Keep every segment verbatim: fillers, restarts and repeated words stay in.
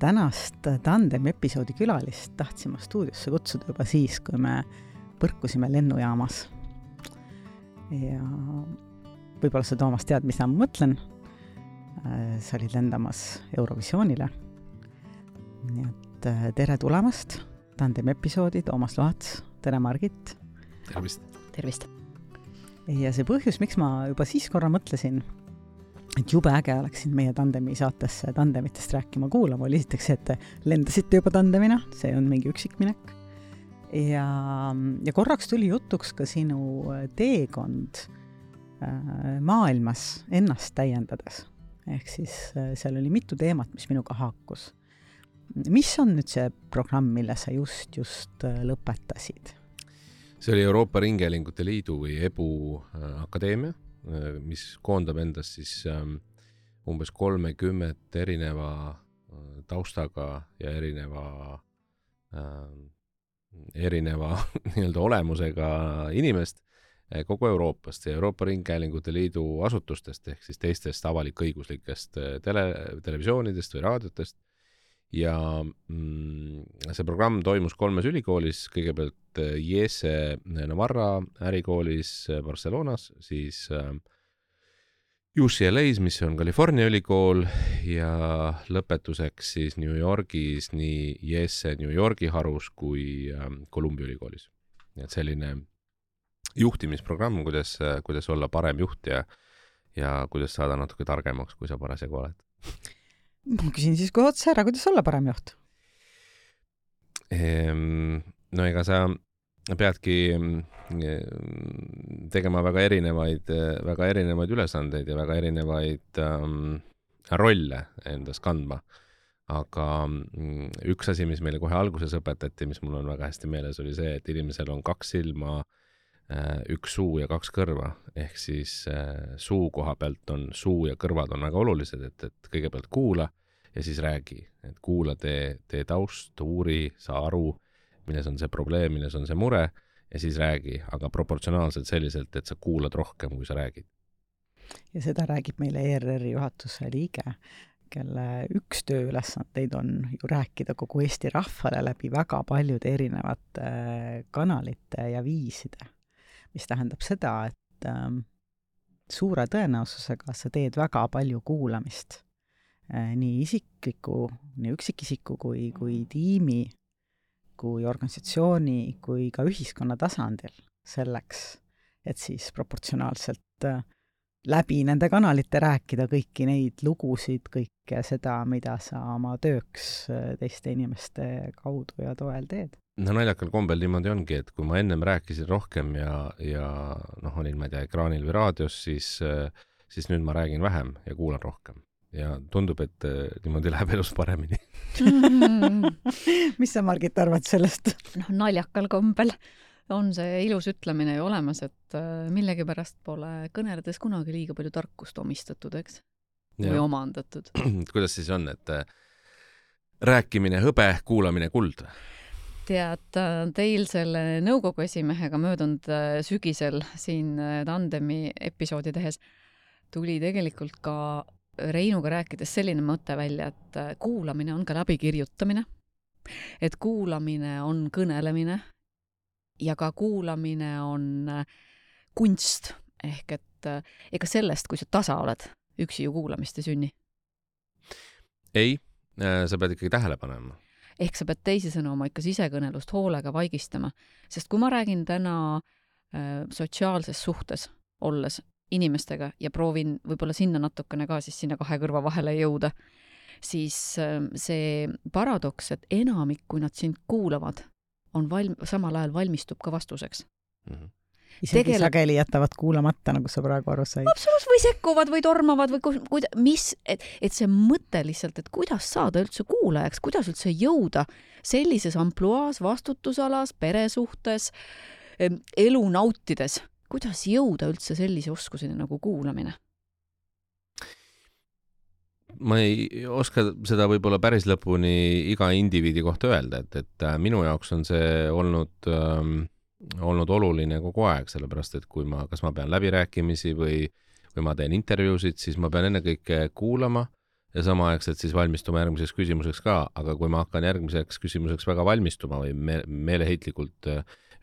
tänast tandemi episoodi külalist tahtsime stuudiosse kutsuda juba siis, kui me põrkusime lennujaamas. Ja võib-olla sa, Toomas, tead, mis ma mõtlen. Sa olid lendamas Eurovisioonile. Nii et tere tulemast. Tandemi episoodi, Toomas Loats. Tere, Margit. Tervist. Tervist. Ja see põhjus, miks ma juba siis korra mõtlesin, et jube äge oleksin meie tandemi saatesse tandemitest rääkima kuulama, oli esiteks see, et te lendasite juba tandemina, see on mingi üksikminek. Ja, ja korraks tuli jutuks ka sinu teekond maailmas ennast täiendades. Ehk siis seal oli mitu teemat, mis minuga haakus. Mis on nüüd see programm, mille sa just, just lõpetasid? See oli Euroopa Ringhäälingute Liidu või E B U akadeemia, mis koondab endas siis umbes kolmekümmet erineva taustaga ja erineva, erineva nii-öelda olemusega inimest kogu Euroopast ja Euroopa Ringhäälingute Liidu asutustest ehk siis teistest avalik-õiguslikest tele, televisioonidest või raadiotest. Ja mm, see programm toimus kolmes ülikoolis, kõigepealt I E S E Navarra ärikoolis Barcelonas, siis äh, U C L A's, mis on California ülikool, ja lõpetuseks siis New Yorgis nii I E S E New Yorgi harus kui äh, Columbia ülikoolis. Et selline juhtimisprogramm, kuidas, kuidas olla parem juht ja, ja kuidas saada natuke targemaks, kui sa parasjagu oled. Ma küsin siis kohe otsa ära, kuidas olla parem juht? No ega sa peadki tegema väga erinevaid, väga erinevaid ülesandeid ja väga erinevaid ähm, rolle endas kandma. Aga üks asi, mis meile kohe alguses õpetati, mis mul on väga hästi meeles, oli see, et inimesel on kaks silma, üks suu ja kaks kõrva, ehk siis äh, suu koha pealt on suu ja kõrvad on väga olulised, et, et kõigepealt kuula ja siis räägi, et kuula tee, tee taust, uuri, sa aru, milles on see probleem, milles on see mure ja siis räägi, aga proportsionaalselt selliselt, et sa kuulad rohkem, kui sa räägid. Ja seda räägib meile E R R-i juhatuse liige, kelle üks tööülesandeid on ju rääkida kogu Eesti rahvale läbi väga paljude erinevate kanalite ja viiside. Mis tähendab seda, et ähm, suure tõenäosusega sa teed väga palju kuulamist äh, nii isikliku, nii üksikisiku kui, kui tiimi, kui organisatsiooni, kui ka ühiskonna tasandil selleks, et siis proportsionaalselt äh, läbi nende kanalite rääkida kõiki neid lugusid, kõike seda, mida sa oma tööks äh, teiste inimeste kaudu ja toel teed. No naljakal kombel niimoodi ongi, et kui ma ennem rääkisin rohkem ja, ja noh, olin, ma ei tea, ekraanil või raadios, siis, siis nüüd ma räägin vähem ja kuulan rohkem. Ja tundub, et niimoodi läheb elus paremini. Mis sa, Margit, arvad sellest? No, naljakal kombel on see ilus ütlemine ju olemas, et millegi pärast pole kõneledes kunagi liiga palju tarkust omistatud, eks? Või ja. Omandatud. Kuidas siis on, et rääkimine hõbe, kuulamine kuld? Tead, teil selle nõukogu esimehega möödunud sügisel siin tandemi episoodi tehes tuli tegelikult ka Reinuga rääkides selline mõte välja, et kuulamine on ka läbikirjutamine, et kuulamine on kõnelemine ja ka kuulamine on kunst, ehk et ega sellest, kui sa tasa oled, üksi ju kuulamist ei sünni. Ei, sa pead ikkagi tähele panema. Ehk sa pead teisisõna oma ikka sisekõnelust hoolega vaigistama, sest kui ma räägin täna äh, sotsiaalses suhtes olles inimestega ja proovin võib-olla sinna natukene ka siis sinna kahe kõrva vahele jõuda, siis äh, see paradoks, et enamik, kui nad sind kuulavad, on valm- samal ajal valmistub ka vastuseks. Mm-hmm. Isegi Tegele... sageli jätavad kuulamata, nagu sa praegu aru said. Absoluut, või sekkuvad või tormavad või kuida, mis, et, et see mõte lihtsalt, et kuidas saada üldse kuulajaks, kuidas üldse jõuda sellises ampluaas, vastutusalas, peresuhtes, elu nautides, kuidas jõuda üldse sellise oskuseni nagu kuulamine? Ma ei oska seda võib-olla päris lõpuni iga indiviidi kohta öelda, et, et minu jaoks on see olnud ähm, olnud oluline kogu aeg, sellepärast, et kui ma, kas ma pean läbirääkimisi või, või ma teen intervjuusid, siis ma pean ennekõike kuulama ja samaaegselt siis valmistuma järgmiseks küsimuseks ka, aga kui ma hakkan järgmiseks küsimuseks väga valmistuma või me meeleheitlikult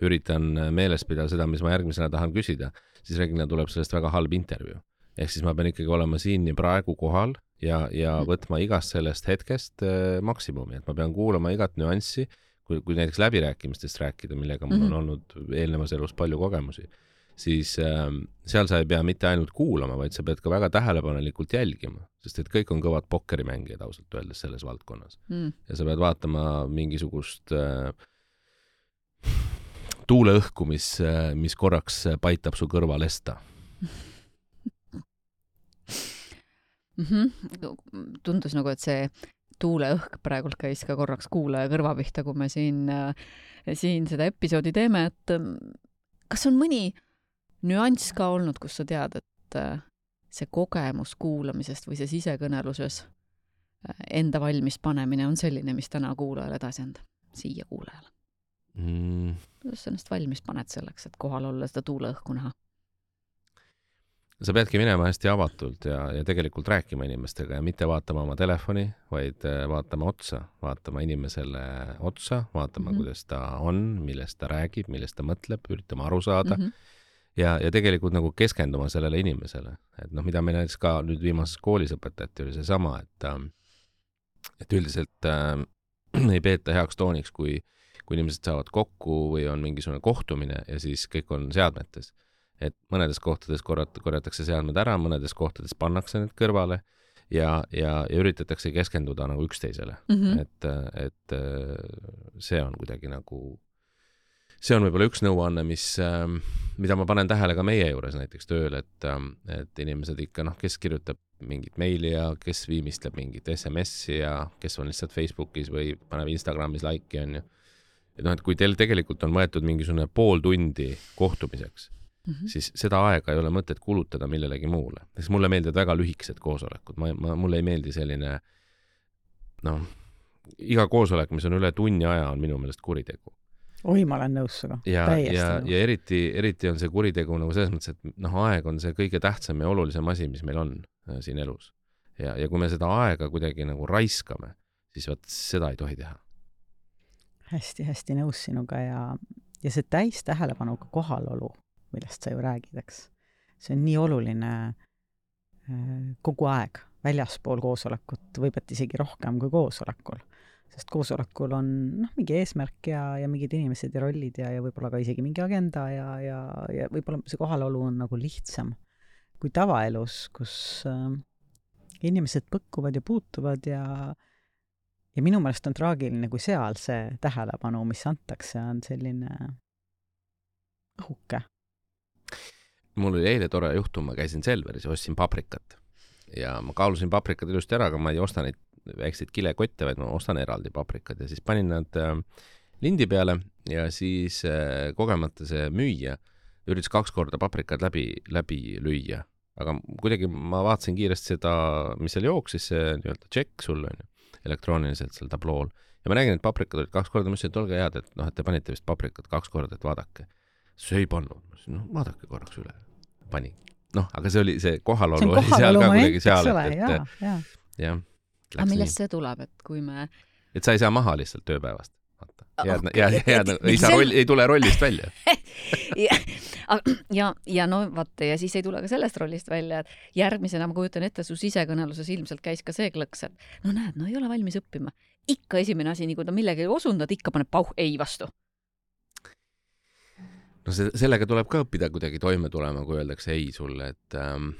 üritan meeles pidada seda, mis ma järgmisena tahan küsida, siis reeglina tuleb sellest väga halb intervjuu. Ehk siis ma pean ikkagi olema siin nii praegu kohal ja, ja võtma igast sellest hetkest äh, maksimumi, et ma pean kuulama igat nüanssi, kui, kui näiteks läbirääkimistest rääkida, millega mul on olnud eelnevas elus palju kogemusi, siis äh, seal sa ei pea mitte ainult kuulama, vaid sa pead ka väga tähelepanelikult jälgima, sest et kõik on kõvad pokkerimängijad ausalt öeldes selles valdkonnas. Mm. Ja sa pead vaatama mingisugust äh, tuuleõhku, mis, mis korraks paitab su kõrva lesta. Mm-hmm. Tundus nagu, et see tuuleõhk praegult käis ka korraks kuulaja kõrva pihta, kui me siin, siin seda episoodi teeme, et kas on mõni nüanss ka olnud, kus sa tead, et see kogemus kuulamisest või see sisekõneluses enda valmis panemine on selline, mis täna kuulajale edasi anda, siia kuulajale? Mm. Kuidas sa ennast valmis paned selleks, et kohal olla seda tuuleõhku näha? Sa peadki minema hästi avatult ja, ja tegelikult rääkima inimestega ja mitte vaatama oma telefoni, vaid vaatama otsa, vaatama inimesele otsa, vaatama, mm-hmm. kuidas ta on, millest ta räägib, millest ta mõtleb, üritama aru saada mm-hmm. ja, ja tegelikult nagu keskenduma sellele inimesele. Et noh, mida me näiteks ka nüüd viimases koolis õpetati, oli see sama, et, et üldiselt äh, ei peeta heaks tooniks, kui, kui inimesed saavad kokku või on mingisugune kohtumine ja siis kõik on seadmetes. Et mõnedes kohtades korrat, korjatakse seadmed ära, mõnedes kohtades pannakse need kõrvale ja, ja, ja üritatakse keskenduda nagu üksteisele. Mm-hmm. Et, et see on kuidagi nagu, see on võib-olla üks nõuanne, mis, mida ma panen tähele ka meie juures näiteks tööl, et, et inimesed ikka, noh, kes kirjutab mingit meili ja kes viimistleb mingit S M S-i ja kes on lihtsalt Facebookis või paneb Instagramis like'i on ju. Et noh, et kui teil tegelikult on võetud mingisugune pool tundi kohtumiseks, Mm-hmm. siis seda aega ei ole mõtet kulutada millelegi muule. Sest mulle meeldivad väga lühikesed koosolekud. Ma, ma, mulle ei meeldi selline, noh, iga koosolek, mis on üle tunni aja, on minu meelest kuritegu. Oi, ma olen nõus suga. Ja, ja, ja eriti, eriti on see kuritegu nagu selles mõttes, et noh, aeg on see kõige tähtsam ja olulisem asi, mis meil on äh, siin elus. Ja, ja kui me seda aega kuidagi nagu raiskame, siis vaat seda ei tohi teha. Hästi, hästi nõus sinuga ja, ja see täis tähelepanuga kohalolu, millest sa ju räägid, eks. See on nii oluline kogu aeg väljaspool koosolekut, võivad isegi rohkem kui koosolekul. Sest koosolekul on noh, mingi eesmärk ja, ja mingid inimesed ja rollid ja, ja võib-olla ka isegi mingi agenda ja, ja, ja võib-olla see kohalolu on nagu lihtsam kui tavaelus, kus äh, inimesed põkkuvad ja puutuvad ja, ja minu meelest on traagiline, kui seal see tähelepanu, mis antakse, on selline õhuke. Mul oli eile tore juhtum, ma käisin Selveris ja ostsin paprikat. Ja ma kaalusin paprikad ilusti ära, aga ma ei osta neid väikseid kilekotte, vaid ma ostan eraldi paprikad. Ja siis panin nad äh, lindi peale ja siis äh, kogemata see müüja üritas kaks korda paprikad läbi, läbi lüüa. Aga kuidagi ma vaatasin kiiresti seda, mis seal jooksis, see nii-öelda tšekk sul on ju, elektrooniliselt seal tablool. Ja ma nägin, et paprikad olid kaks korda, ma ütlesin, et olge head, et, noh, et te panite vist paprikad kaks korda, et vaadake. See ei pannud. No, vaadake korraks üle. Pani. Noh, aga see oli see kohalolu see oli seal ka kuidagi seal. Et, et, jah, jah. jah. Aga millest see tuleb, et kui me... Et sa ei saa maha lihtsalt tööpäevast. Jääd, okay. jääd, jääd, ei, saa roll, ei tule rollist välja. ja, ja, ja no vaata, ja siis ei tule ka sellest rollist välja, et järgmisena ma kujutan ette, su sisekõneluses ilmselt käis ka see klõks, et no näed, no ei ole valmis õppima. Ikka esimene asi, nii kui ta millegi osundad, ikka paneb pauh ei vastu. No see, sellega tuleb ka õppida kuidagi toime tulema, kui öeldakse ei sulle, et, ähm,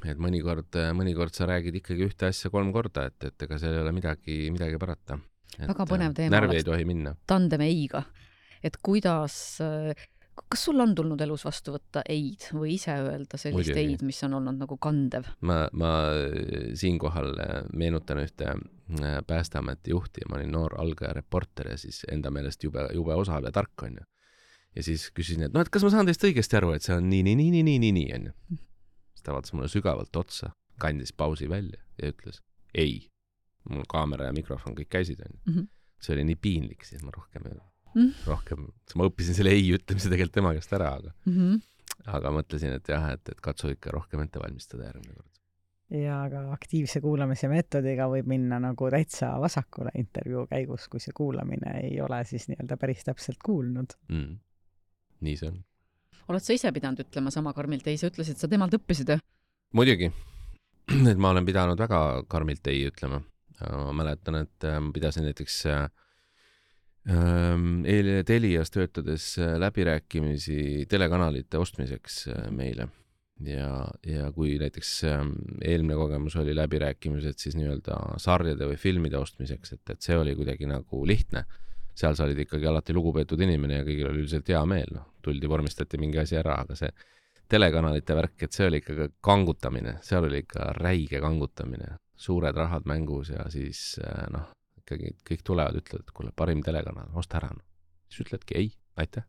et mõnikord, mõnikord sa räägid ikkagi ühte asja kolm korda, et, et ega seal ei ole midagi, midagi parata. Et, väga põnev teema närvi ei tohi minna. Tandem eiga. Et kuidas, kas sul on tulnud elus vastu võtta eid või ise öelda sellist Muidugi. Eid, mis on olnud nagu kandev? Ma, ma siinkohal meenutan ühte Päästeameti juhti, ma olin noor algaja reporter ja siis enda meelest jube, jube osav ja tark on ju. Ja siis küsisin, et no, et kas ma saan teist õigesti aru, et see on nii, nii, nii, nii, nii, nii, nii, on ju. Siis ta vaatas mulle sügavalt otsa, kandis pausi välja ja ütles, ei. Mul kaamera ja mikrofon kõik käisid, on ju. Mm-hmm. See oli nii piinlik, siis ma rohkem, mm-hmm. rohkem, ma õppisin selle ei ütlemise tegelikult tema käest ära, aga, mm-hmm. aga mõtlesin, et jah, et, et katsu ikka rohkem ette valmistada järgmine kord. ja ka aktiivse kuulamise meetodiga võib minna nagu täitsa vasakule intervjuu käigus, kui see kuulamine ei ole siis nii-öelda päris täpselt kuulnud mm.. nii see on. Oled sa ise pidanud ütlema sama karmilt ei? Sa ütlesid, sa temalt õppisid? Muidugi, et ma olen pidanud väga karmilt ei ütlema. Ma mäletan, et ma pidasin näiteks äh, Telias töötades läbirääkimisi telekanalite ostmiseks meile. Ja, ja kui näiteks äh, eelmine kogemus oli läbirääkimised siis nii-öelda sarjade või filmide ostmiseks, et, et see oli kuidagi nagu lihtne. Seal sa olid ikkagi alati lugupeetud inimene ja kõigil oli üldiselt hea meel. No, tuldi, vormistati mingi asi ära, aga see telekanalite värk, et see oli ikka kangutamine. Seal oli ikka räige kangutamine. Suured rahad mängus ja siis noh, ikkagi kõik tulevad, ütlevad, et kuule, parim telekanal, osta ära. No. Siis ütledki ei, aitäh,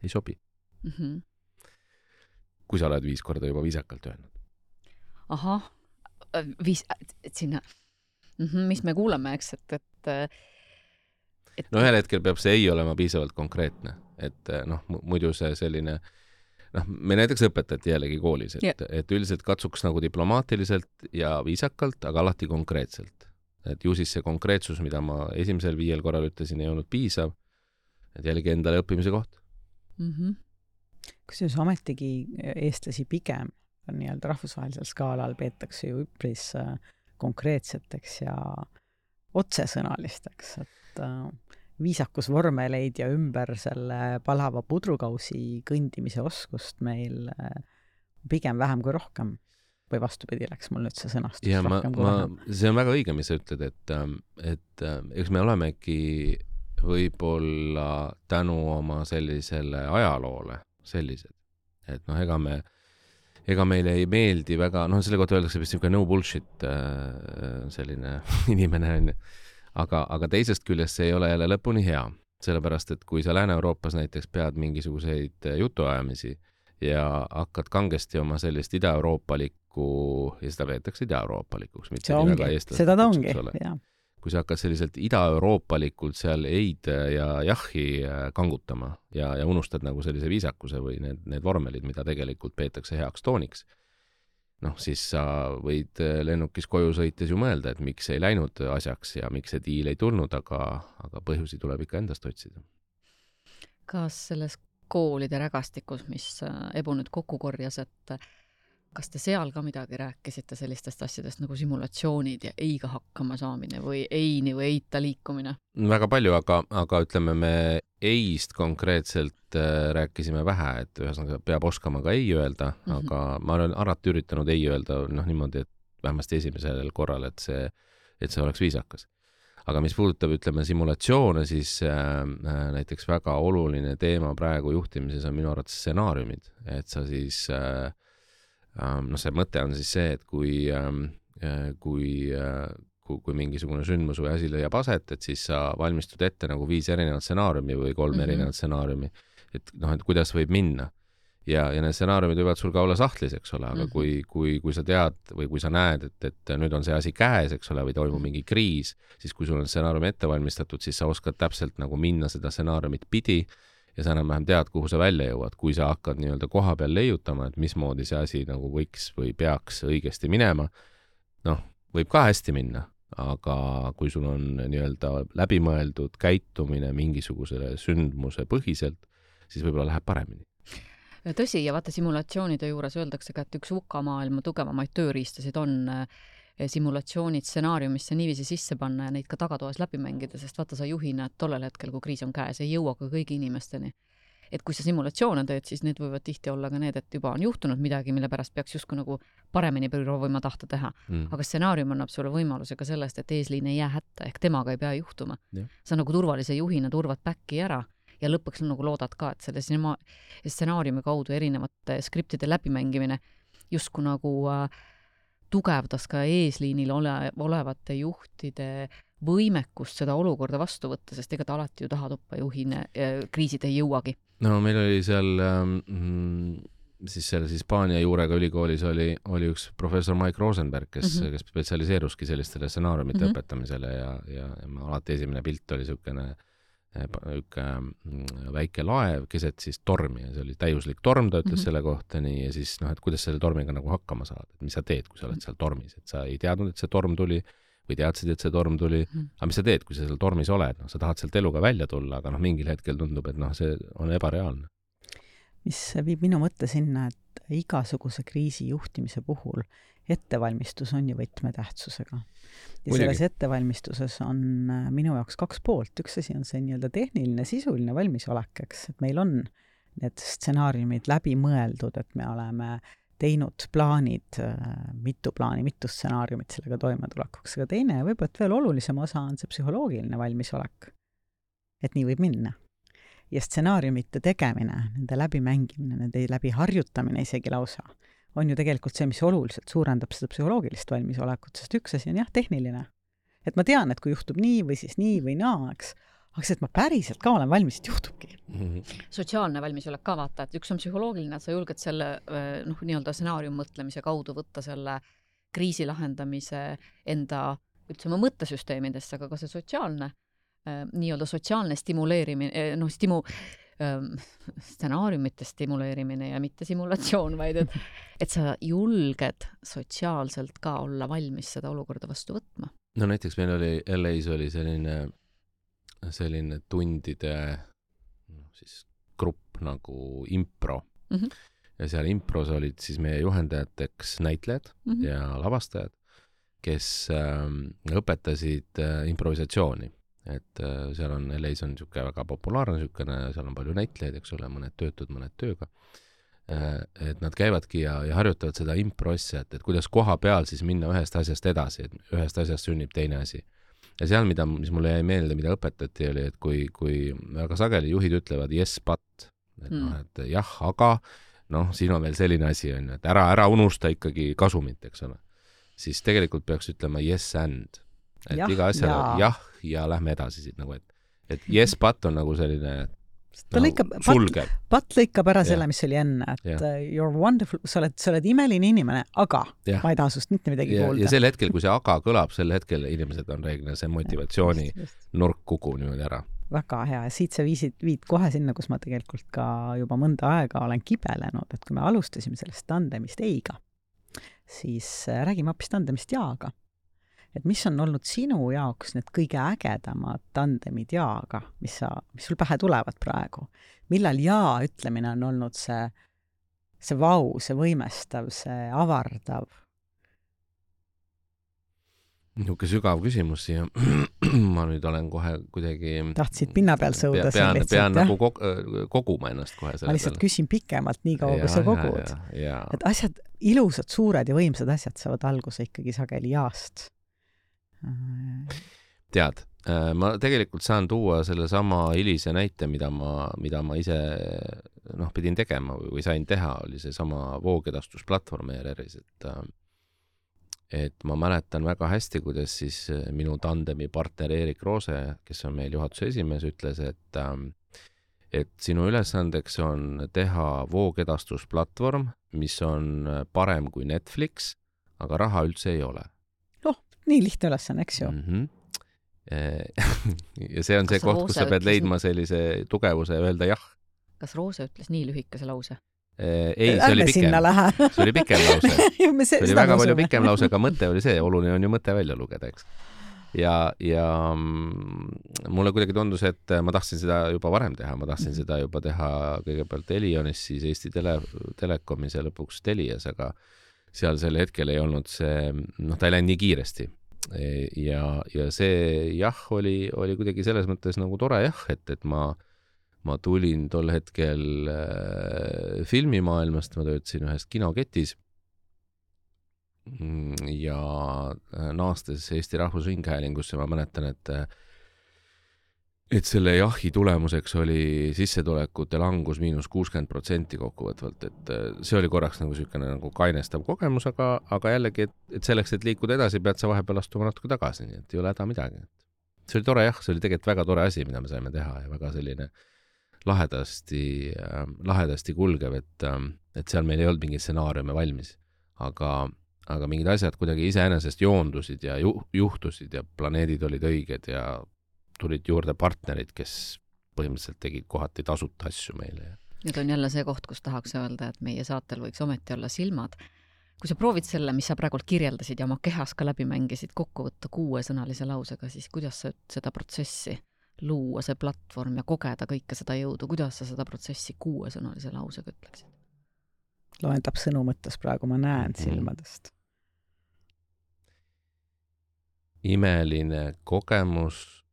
ei sobi. Mm-hmm. Kui sa oled viis korda juba viisakalt öelnud. Ahah, viis, et sinna, mm-hmm, mis me kuuleme, eks, et, et Et... no ühel hetkel peab see ei olema piisavalt konkreetne, et noh, muidu see selline, noh, me näiteks õpetati jällegi koolis, et, yeah. et üldiselt katsuks nagu diplomaatiliselt ja viisakalt, aga alati konkreetselt. Et ju siis see konkreetsus, mida ma esimesel viiel korral ütlesin, ei olnud piisav, et jällegi endale õppimise koht. Mm-hmm. Kusjuures ametigi eestlasi pigem nii-öelda rahvusvahelisel skaalal peetakse ju üpris konkreetseteks ja otsesõnalisteks, et viisakusvormeleid ja ümber selle palava pudrukausi kõndimise oskust meil pigem vähem kui rohkem. Või vastupidi, läks mul nüüd see sõnastus ja rohkem ma, kui ma, vähem. See on väga õige, mis sa ütled, et, et eks me olemegi võib-olla tänu oma sellisele ajaloole sellised. Et noh, ega me ega meile ei meeldi väga, noh, selle kohta öeldakse vist niisugune no bullshit selline inimene on. Aga, aga teisest küljest see ei ole jälle lõpuni hea, sellepärast, et kui sa Lääne-Euroopas näiteks pead mingisuguseid jutuajamisi ja hakkad kangesti oma sellist ida-euroopalikku, ja seda veetakse ida-euroopalikuks, mitte nii väga eestlased. Seda ta ongi, jah. Kui sa hakkad selliselt ida-euroopalikult seal eid ja jahhi kangutama ja, ja unustad nagu sellise viisakuse või need, need vormelid, mida tegelikult peetakse heaks tooniks, noh, siis sa võid lennukis koju sõites ju mõelda, et miks ei läinud asjaks ja miks see diil ei tulnud, aga, aga põhjusi tuleb ikka endast otsida. Kas selles koolide rägastikus, mis Ebu nüüd kokku korjas, et kas te seal ka midagi rääkisite sellistest asjadest nagu simulatsioonid ja eiga hakkama saamine või eini või eita liikumine? Väga palju, aga, aga ütleme, me eist konkreetselt äh, rääkisime vähe, et ühesõnaga peab oskama ka ei öelda, mm-hmm. aga ma olen alati üritanud ei öelda noh, niimoodi, et vähemasti esimesel korral, et see, et see oleks viisakas. Aga mis puudutab, ütleme, simulatsioone, siis äh, näiteks väga oluline teema praegu juhtimises on minu arvates stsenaariumid, et sa siis äh, no see mõte on siis see, et kui, kui, kui, kui mingisugune sündmus või asi leiab aset, et siis sa valmistud ette nagu viis erinevat stsenaariumi või kolm mm-hmm. erinevat stsenaariumi, et noh, et kuidas võib minna. Ja, ja need stsenaariumid võivad sul ka olla sahtlis, eks ole, aga mm-hmm. kui, kui, kui sa tead või kui sa näed, et, et nüüd on see asi käes, eks ole, või toimub mingi kriis, siis kui sul on stsenaarium ette valmistatud, siis sa oskad täpselt nagu minna seda stsenaariumit pidi ja sa enam-vähem tead, kuhu sa välja jõuad, kui sa hakkad nii-öelda koha peal leiutama, et mismoodi see asi nagu võiks või peaks õigesti minema. Noh, võib ka hästi minna, aga kui sul on nii-öelda läbimõeldud käitumine mingisugusele sündmuse põhiselt, siis võib-olla läheb paremini. Tõsi, ja vaata simulatsioonide juures öeldakse ka, et üks U K A maailma tugevamaid tööriistasid on simulatsioonid stsenaariumisse niiviisi sisse panna ja neid ka tagatoas läbi mängida, sest vaata sa juhina, et tollel hetkel, kui kriis on käes, ei jõua ka kõigi inimesteni. Et kui sa simulatsioone teed, siis need võivad tihti olla ka need, et juba on juhtunud midagi, mille pärast peaks justkui nagu paremini proovima tahta teha. Mm. Aga stsenaarium annab sulle võimaluse ka sellest, et eesliin ei jää hätta, ehk temaga ei pea juhtuma. Ja. Sa nagu turvalise juhina turvad päkki ära ja lõpuks nagu loodad ka, et selle stsenaariumi kaudu erinevate skriptide läbimängimine justkui nagu äh, tugevdas ka eesliinil ole, olevate juhtide võimekust seda olukorda vastu võtta, sest ega ta alati ju taha toppa juhine, kriisid ei jõuagi. No meil oli seal ähm, siis selles Hispaania juurega ülikoolis oli, oli üks professor Mike Rosenberg, kes, mm-hmm. kes spetsialiseeruski sellistele stsenaariumite mm-hmm. õpetamisele ja, ja, ja alati esimene pilt oli niisugune üks väike laev keset siis tormi ja see oli täiuslik torm, ta ütles mm -hmm. selle kohta nii ja siis noh, et kuidas selle tormiga nagu hakkama saada, et mis sa teed, kui sa oled seal tormis, et sa ei teadnud, et see torm tuli või teadsid, et see torm tuli, mm -hmm. aga mis sa teed, kui sa seal tormis oled, noh, sa tahad sealt eluga välja tulla, aga noh, mingil hetkel tundub, et noh, see on ebareaalne. Mis viib minu mõtte sinna, et igasuguse kriisi juhtimise puhul ettevalmistus on ju võtmetähtsusega. Ja Muidugi. selles ettevalmistuses on minu jaoks kaks poolt. Üks asi on see nii-öelda tehniline, sisuline valmisolek, eks, et meil on need stsenaariumid läbi mõeldud, et me oleme teinud plaanid, mitu plaani, mitu stsenaariumit sellega toimetulekuks. Aga teine ja võib-olla veel olulisem osa on see psühholoogiline valmisolek, et nii võib minna. Ja stsenaariumite tegemine, nende läbimängimine, nende läbi harjutamine isegi lausa, on ju tegelikult see, mis oluliselt suurendab seda psühholoogilist valmisolekut, sest üks asi on jah, tehniline. Et ma tean, et kui juhtub nii või siis nii või naa, eks, aga see, et ma päriselt ka olen valmis, et juhtubki. Mm-hmm. Sotsiaalne valmisolek ka vaata, et üks on psühholoogiline, et sa julged selle noh, nii-öelda stsenaarium mõtlemise kaudu võtta selle kriisi lahendamise enda, ütleme, mõttesüsteemidesse, aga ka see sotsiaalne, nii-öelda sotsiaalne stimuleerimine, noh, stimu, stsenaariumite stimuleerimine ja mitte simulatsioon, vaid et, et sa julged sotsiaalselt ka olla valmis seda olukorda vastu võtma. No näiteks meil oli, L A-s oli selline, selline tundide no, siis grupp nagu impro. Mm-hmm. Ja seal impros olid siis meie juhendajateks näitlejad mm-hmm. ja lavastajad, kes äh, õpetasid äh, improvisatsiooni. Et äh, seal on, L A-s on niisugune väga populaarne niisugune, seal on palju näitlejaid, eks ole, mõned töötud, mõned tööga. Äh, et nad käivadki ja, ja harjutavad seda impro asja, et, et kuidas koha peal siis minna ühest asjast edasi, et ühest asjast sünnib teine asi. Ja seal, mida, mis mulle jäi meelde, mida õpetati, oli, et kui, kui väga sageli juhid ütlevad yes, but, et, mm. noh, et jah, aga noh, siin on veel selline asi, on, et ära, ära unusta ikkagi kasumit, eks ole. Siis tegelikult peaks ütlema yes and. Et jah, iga asja ja. jah ja lähme edasi siit nagu, et, et yes, but on nagu selline ta no, lõikab, sulgeb. Pat, pat lõikab ära selle, mis oli enne, et ja. You're wonderful, sa oled, sa oled imeline inimene, aga ja. Ma ei taha sust mitte midagi ja, kuulda. Ja sel hetkel, kui see aga kõlab, sel hetkel inimesed on reeglina see motivatsiooni just, just. nurk kuku niimoodi ära. Väga hea ja siit sa viisid, viid kohe sinna, kus ma tegelikult ka juba mõnda aega olen kibelenud, et kui me alustasime sellest tandemist eiga, siis räägime hoopis tandemist jaaga. Et mis on olnud sinu jaoks need kõige ägedamad tandemid jaaga, mis, sa, mis sul pähe tulevad praegu? Millal jaa ütlemine on olnud see, see vau, see võimestav, see avardav? Niuke sügav küsimus siia. Ma nüüd olen kohe kuidagi... Tahtsid pinna peal sõuda pean, lihtsalt, pean nagu koguma ennast kohe selle ma lihtsalt peale. Küsin pikemalt nii kaua, kui sa kogud. Ja, ja, ja. Et asjad, ilusad, suured ja võimsad asjad saavad alguse ikkagi sageli jaast. Tead, ma tegelikult saan tuua selle sama hilise näite, mida ma, mida ma ise noh, pidin tegema või sain teha, oli see sama voogedastusplatvorm E R R-is, et, et ma mäletan väga hästi, kuidas siis minu tandemi partner Erik Roose, kes on meil juhatuse esimees, ütles, et, et sinu ülesandeks on teha voogedastusplatvorm, mis on parem kui Netflix, aga raha üldse ei ole. Nii lihtne ülesanne, eks ju. Mm-hmm. Ja see on kas see koht, kus sa pead leidma sellise tugevuse ja öelda jah. Kas Roose ütles nii lühikese lause? Ei, see oli pikem. See oli pikem lause. me see oli väga palju pikem lause, aga mõte oli see, oluline on ju mõte välja lugeda, eks. Ja, ja mulle kuidagi tundus, et ma tahtsin seda juba varem teha, ma tahtsin mm-hmm. seda juba teha kõigepealt Elionis, siis Eesti tele, Telekomis ja lõpuks Telias, aga seal sel hetkel ei olnud see, noh, ta ei läinud nii kiiresti. Ja, ja see jah, oli, oli kuidagi selles mõttes nagu tore jah, et, et ma, ma tulin tol hetkel äh, filmimaailmast, ma töötasin ühes kinoketis ja naastes Eesti Rahvusringhäälingusse, ma mäletan, et et selle jahi tulemuseks oli sissetulekute langus miinus kuuskümmend protsenti kokkuvõtvalt, et see oli korraks nagu selline nagu kainestav kogemus, aga, aga jällegi, et, et selleks, et liikuda edasi, pead sa vahepeal astuma natuke tagasi, nii et ei ole häda midagi. See oli tore jah, see oli tegelikult väga tore asi, mida me saime teha ja väga selline lahedasti, äh, lahedasti kulgev, et, äh, et seal meil ei olnud mingi stsenaariume valmis, aga, aga mingid asjad kuidagi iseenesest joondusid ja ju, juhtusid ja planeedid olid õiged ja tulid juurde partnerid, kes põhimõtteliselt tegid kohati tasuta asju meile. Nüüd on jälle see koht, kus tahaks öelda, et meie saatel võiks ometi olla silmad. Kui sa proovid selle, mis sa praegult kirjeldasid ja oma kehas ka läbi mängisid kokku võtta kuuesõnalise lausega, siis kuidas sa seda protsessi luua, see platvorm ja kogeda kõike seda jõudu, kuidas sa seda protsessi kuuesõnalise lausega ütleksid? Loendab sõnu mõttes praegu, ma näen silmadest. Imeline kogemus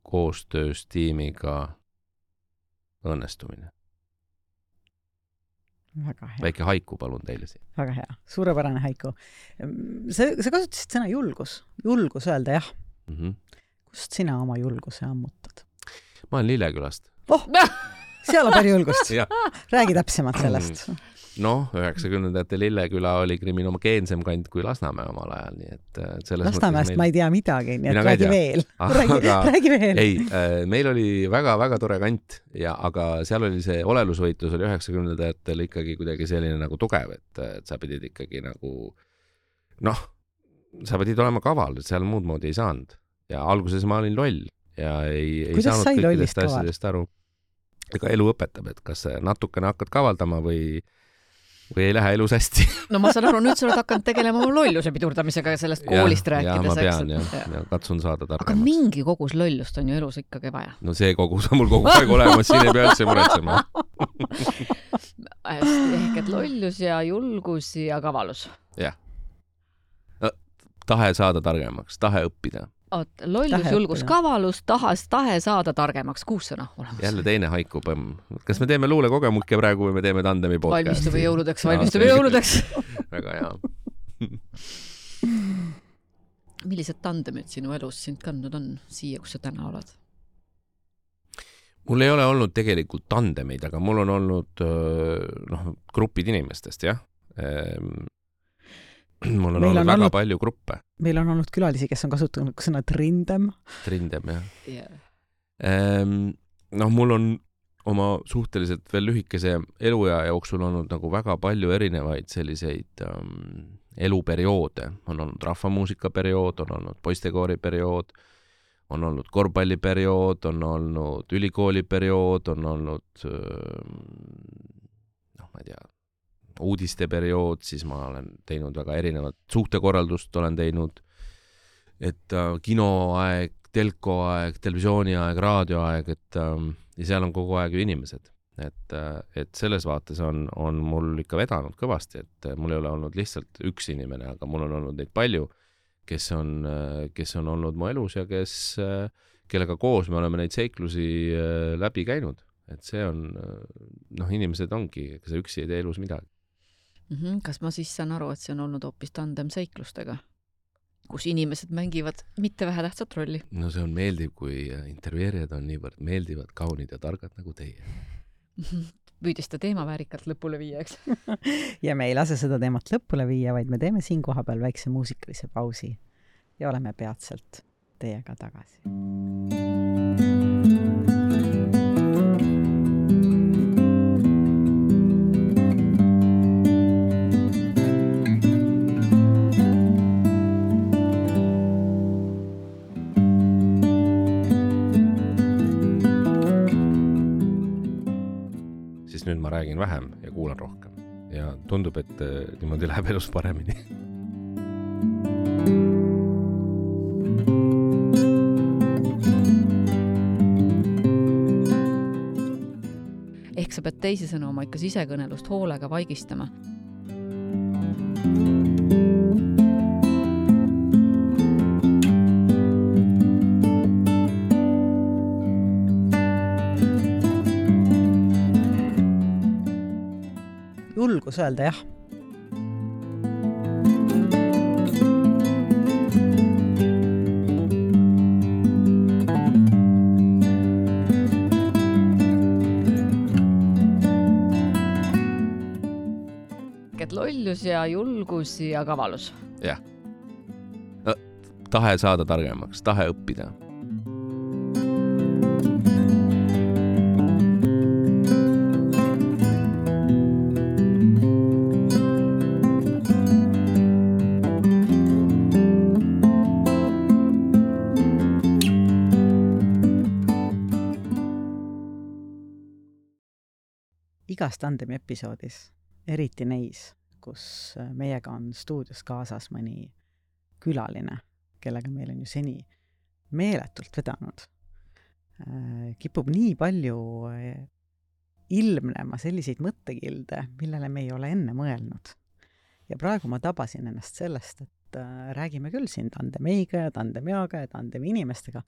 koostöös tiimiga õnnestumine. Väga hea. Väike haiku palun teile siin. Väga hea. Suurepärane haiku. Sa, sa kasutasid sõna julgus. Julgus öelda jah. Mm-hmm. Kust sina oma julguse ammutad? Ma olen Lillekülast. Oh, seal on palju julgust. Räägi täpsemalt sellest. Noh, üheksakümnendate Lilleküla oli kriminogeensem kant kui Lasnamäe omal ajal, nii et selles Lasnamäest meil... ma ei tea midagi, nii et Mina räägi veel. Räägi, aga... räägi veel. Ei, meil oli väga-väga tore kant, ja, aga seal oli see olelusvõitlus oli üheksakümnendatel ikkagi kuidagi selline nagu tugev, et, et sa pidid ikkagi nagu, noh, sa pidid olema kaval, et seal muud moodi ei saanud. Ja alguses ma olin loll ja ei, ei Kuidas saanud kõikidest asjadest aru. Ega elu õpetab, et kas natukene hakkad kavaldama või või ei lähe elus hästi. No ma saan aru, nüüd sa oled hakanud tegelema oma lolluse pidurdamisega ja sellest koolist ja, rääkides. Ja ma pean, ja, ja. ja katsun saada targemaks. Aga mingi kogus lollust on ju elus ikkagi vaja. No see kogus on mul kogu aeg olemas, siin ei pea üldse muretsema. Ehk et lollus ja julgus ja kavalus. Jah. No, tahe saada targemaks, tahe õppida. Oot, lollus, tahe julgus, õppida. Kavalus, tahas, tahe saada targemaks, kuus sõna olemas. Jälle teine haiku põmm. Kas me teeme luule kogemukke praegu või me teeme tandemi podcast? Valmistume jõuludeks, valmistume jõuludeks. Väga hea. Millised tandemid sinu elus sind kandnud on siia, kus sa täna oled? Mul ei ole olnud tegelikult tandemeid, aga mul on olnud noh, grupid inimestest, jah. Mul on meil olnud on väga olnud, palju gruppe. Meil on olnud külalisi, kes on kasutanud sõna trindem. Trindem, jah. Yeah. Ehm, noh, mul on oma suhteliselt veel lühikese eluja jooksul olnud nagu väga palju erinevaid selliseid um, eluperioode. On olnud rahvamuusikaperiood, on olnud poistekooriperiood, on olnud korvpalliperiood, on olnud ülikooliperiood, on olnud noh, ma ei tea, uudiste periood, siis ma olen teinud väga erinevat suhtekorraldust, olen teinud, et äh, kinoaeg, telkoaeg, televisiooniaeg, raadioaeg, et äh, ja seal on kogu aeg ju inimesed. Et, äh, et selles vaates on, on mul ikka vedanud kõvasti, et äh, mul ei ole olnud lihtsalt üks inimene, aga mul on olnud neid palju, kes on, äh, kes on olnud mu elus ja kes, äh, kellega koos me oleme neid seiklusi äh, läbi käinud. Et see on, noh, inimesed ongi, ega sa üksi ei tee elus midagi. Kas ma siis saan aru, et see on olnud hoopis tandem seiklustega, kus inimesed mängivad mitte vähe tähtsat rolli? No see on meeldiv, kui intervjueerijad on niivõrd meeldivad, kaunid ja targad nagu teie. Püüdis ta teema väärikalt lõpule viia, eks? Ja me ei lase seda teemat lõpule viia, vaid me teeme siin koha peal väikse muusikalise pausi ja oleme peatselt teiega tagasi. Nüüd ma räägin vähem ja kuulan rohkem. Ja tundub, et niimoodi läheb elus paremini. Ehk sa pead teisisõnu oma ikka sisekõnelust hoolega vaigistama. Julgus öelda jah. Et lollus ja julgus ja kavalus. Jah. No, tahe saada targemaks, tahe õppida. igas tandemi episoodis, eriti neis, kus meiega on stuudios kaasas mõni külaline, kellega meil on ju seni meeletult vedanud, kipub nii palju ilmnema selliseid mõttekilde, millele me ei ole enne mõelnud. Ja praegu ma tabasin ennast sellest, et räägime küll siin tandemeiga ja tandemiaga ja tandemi inimestega,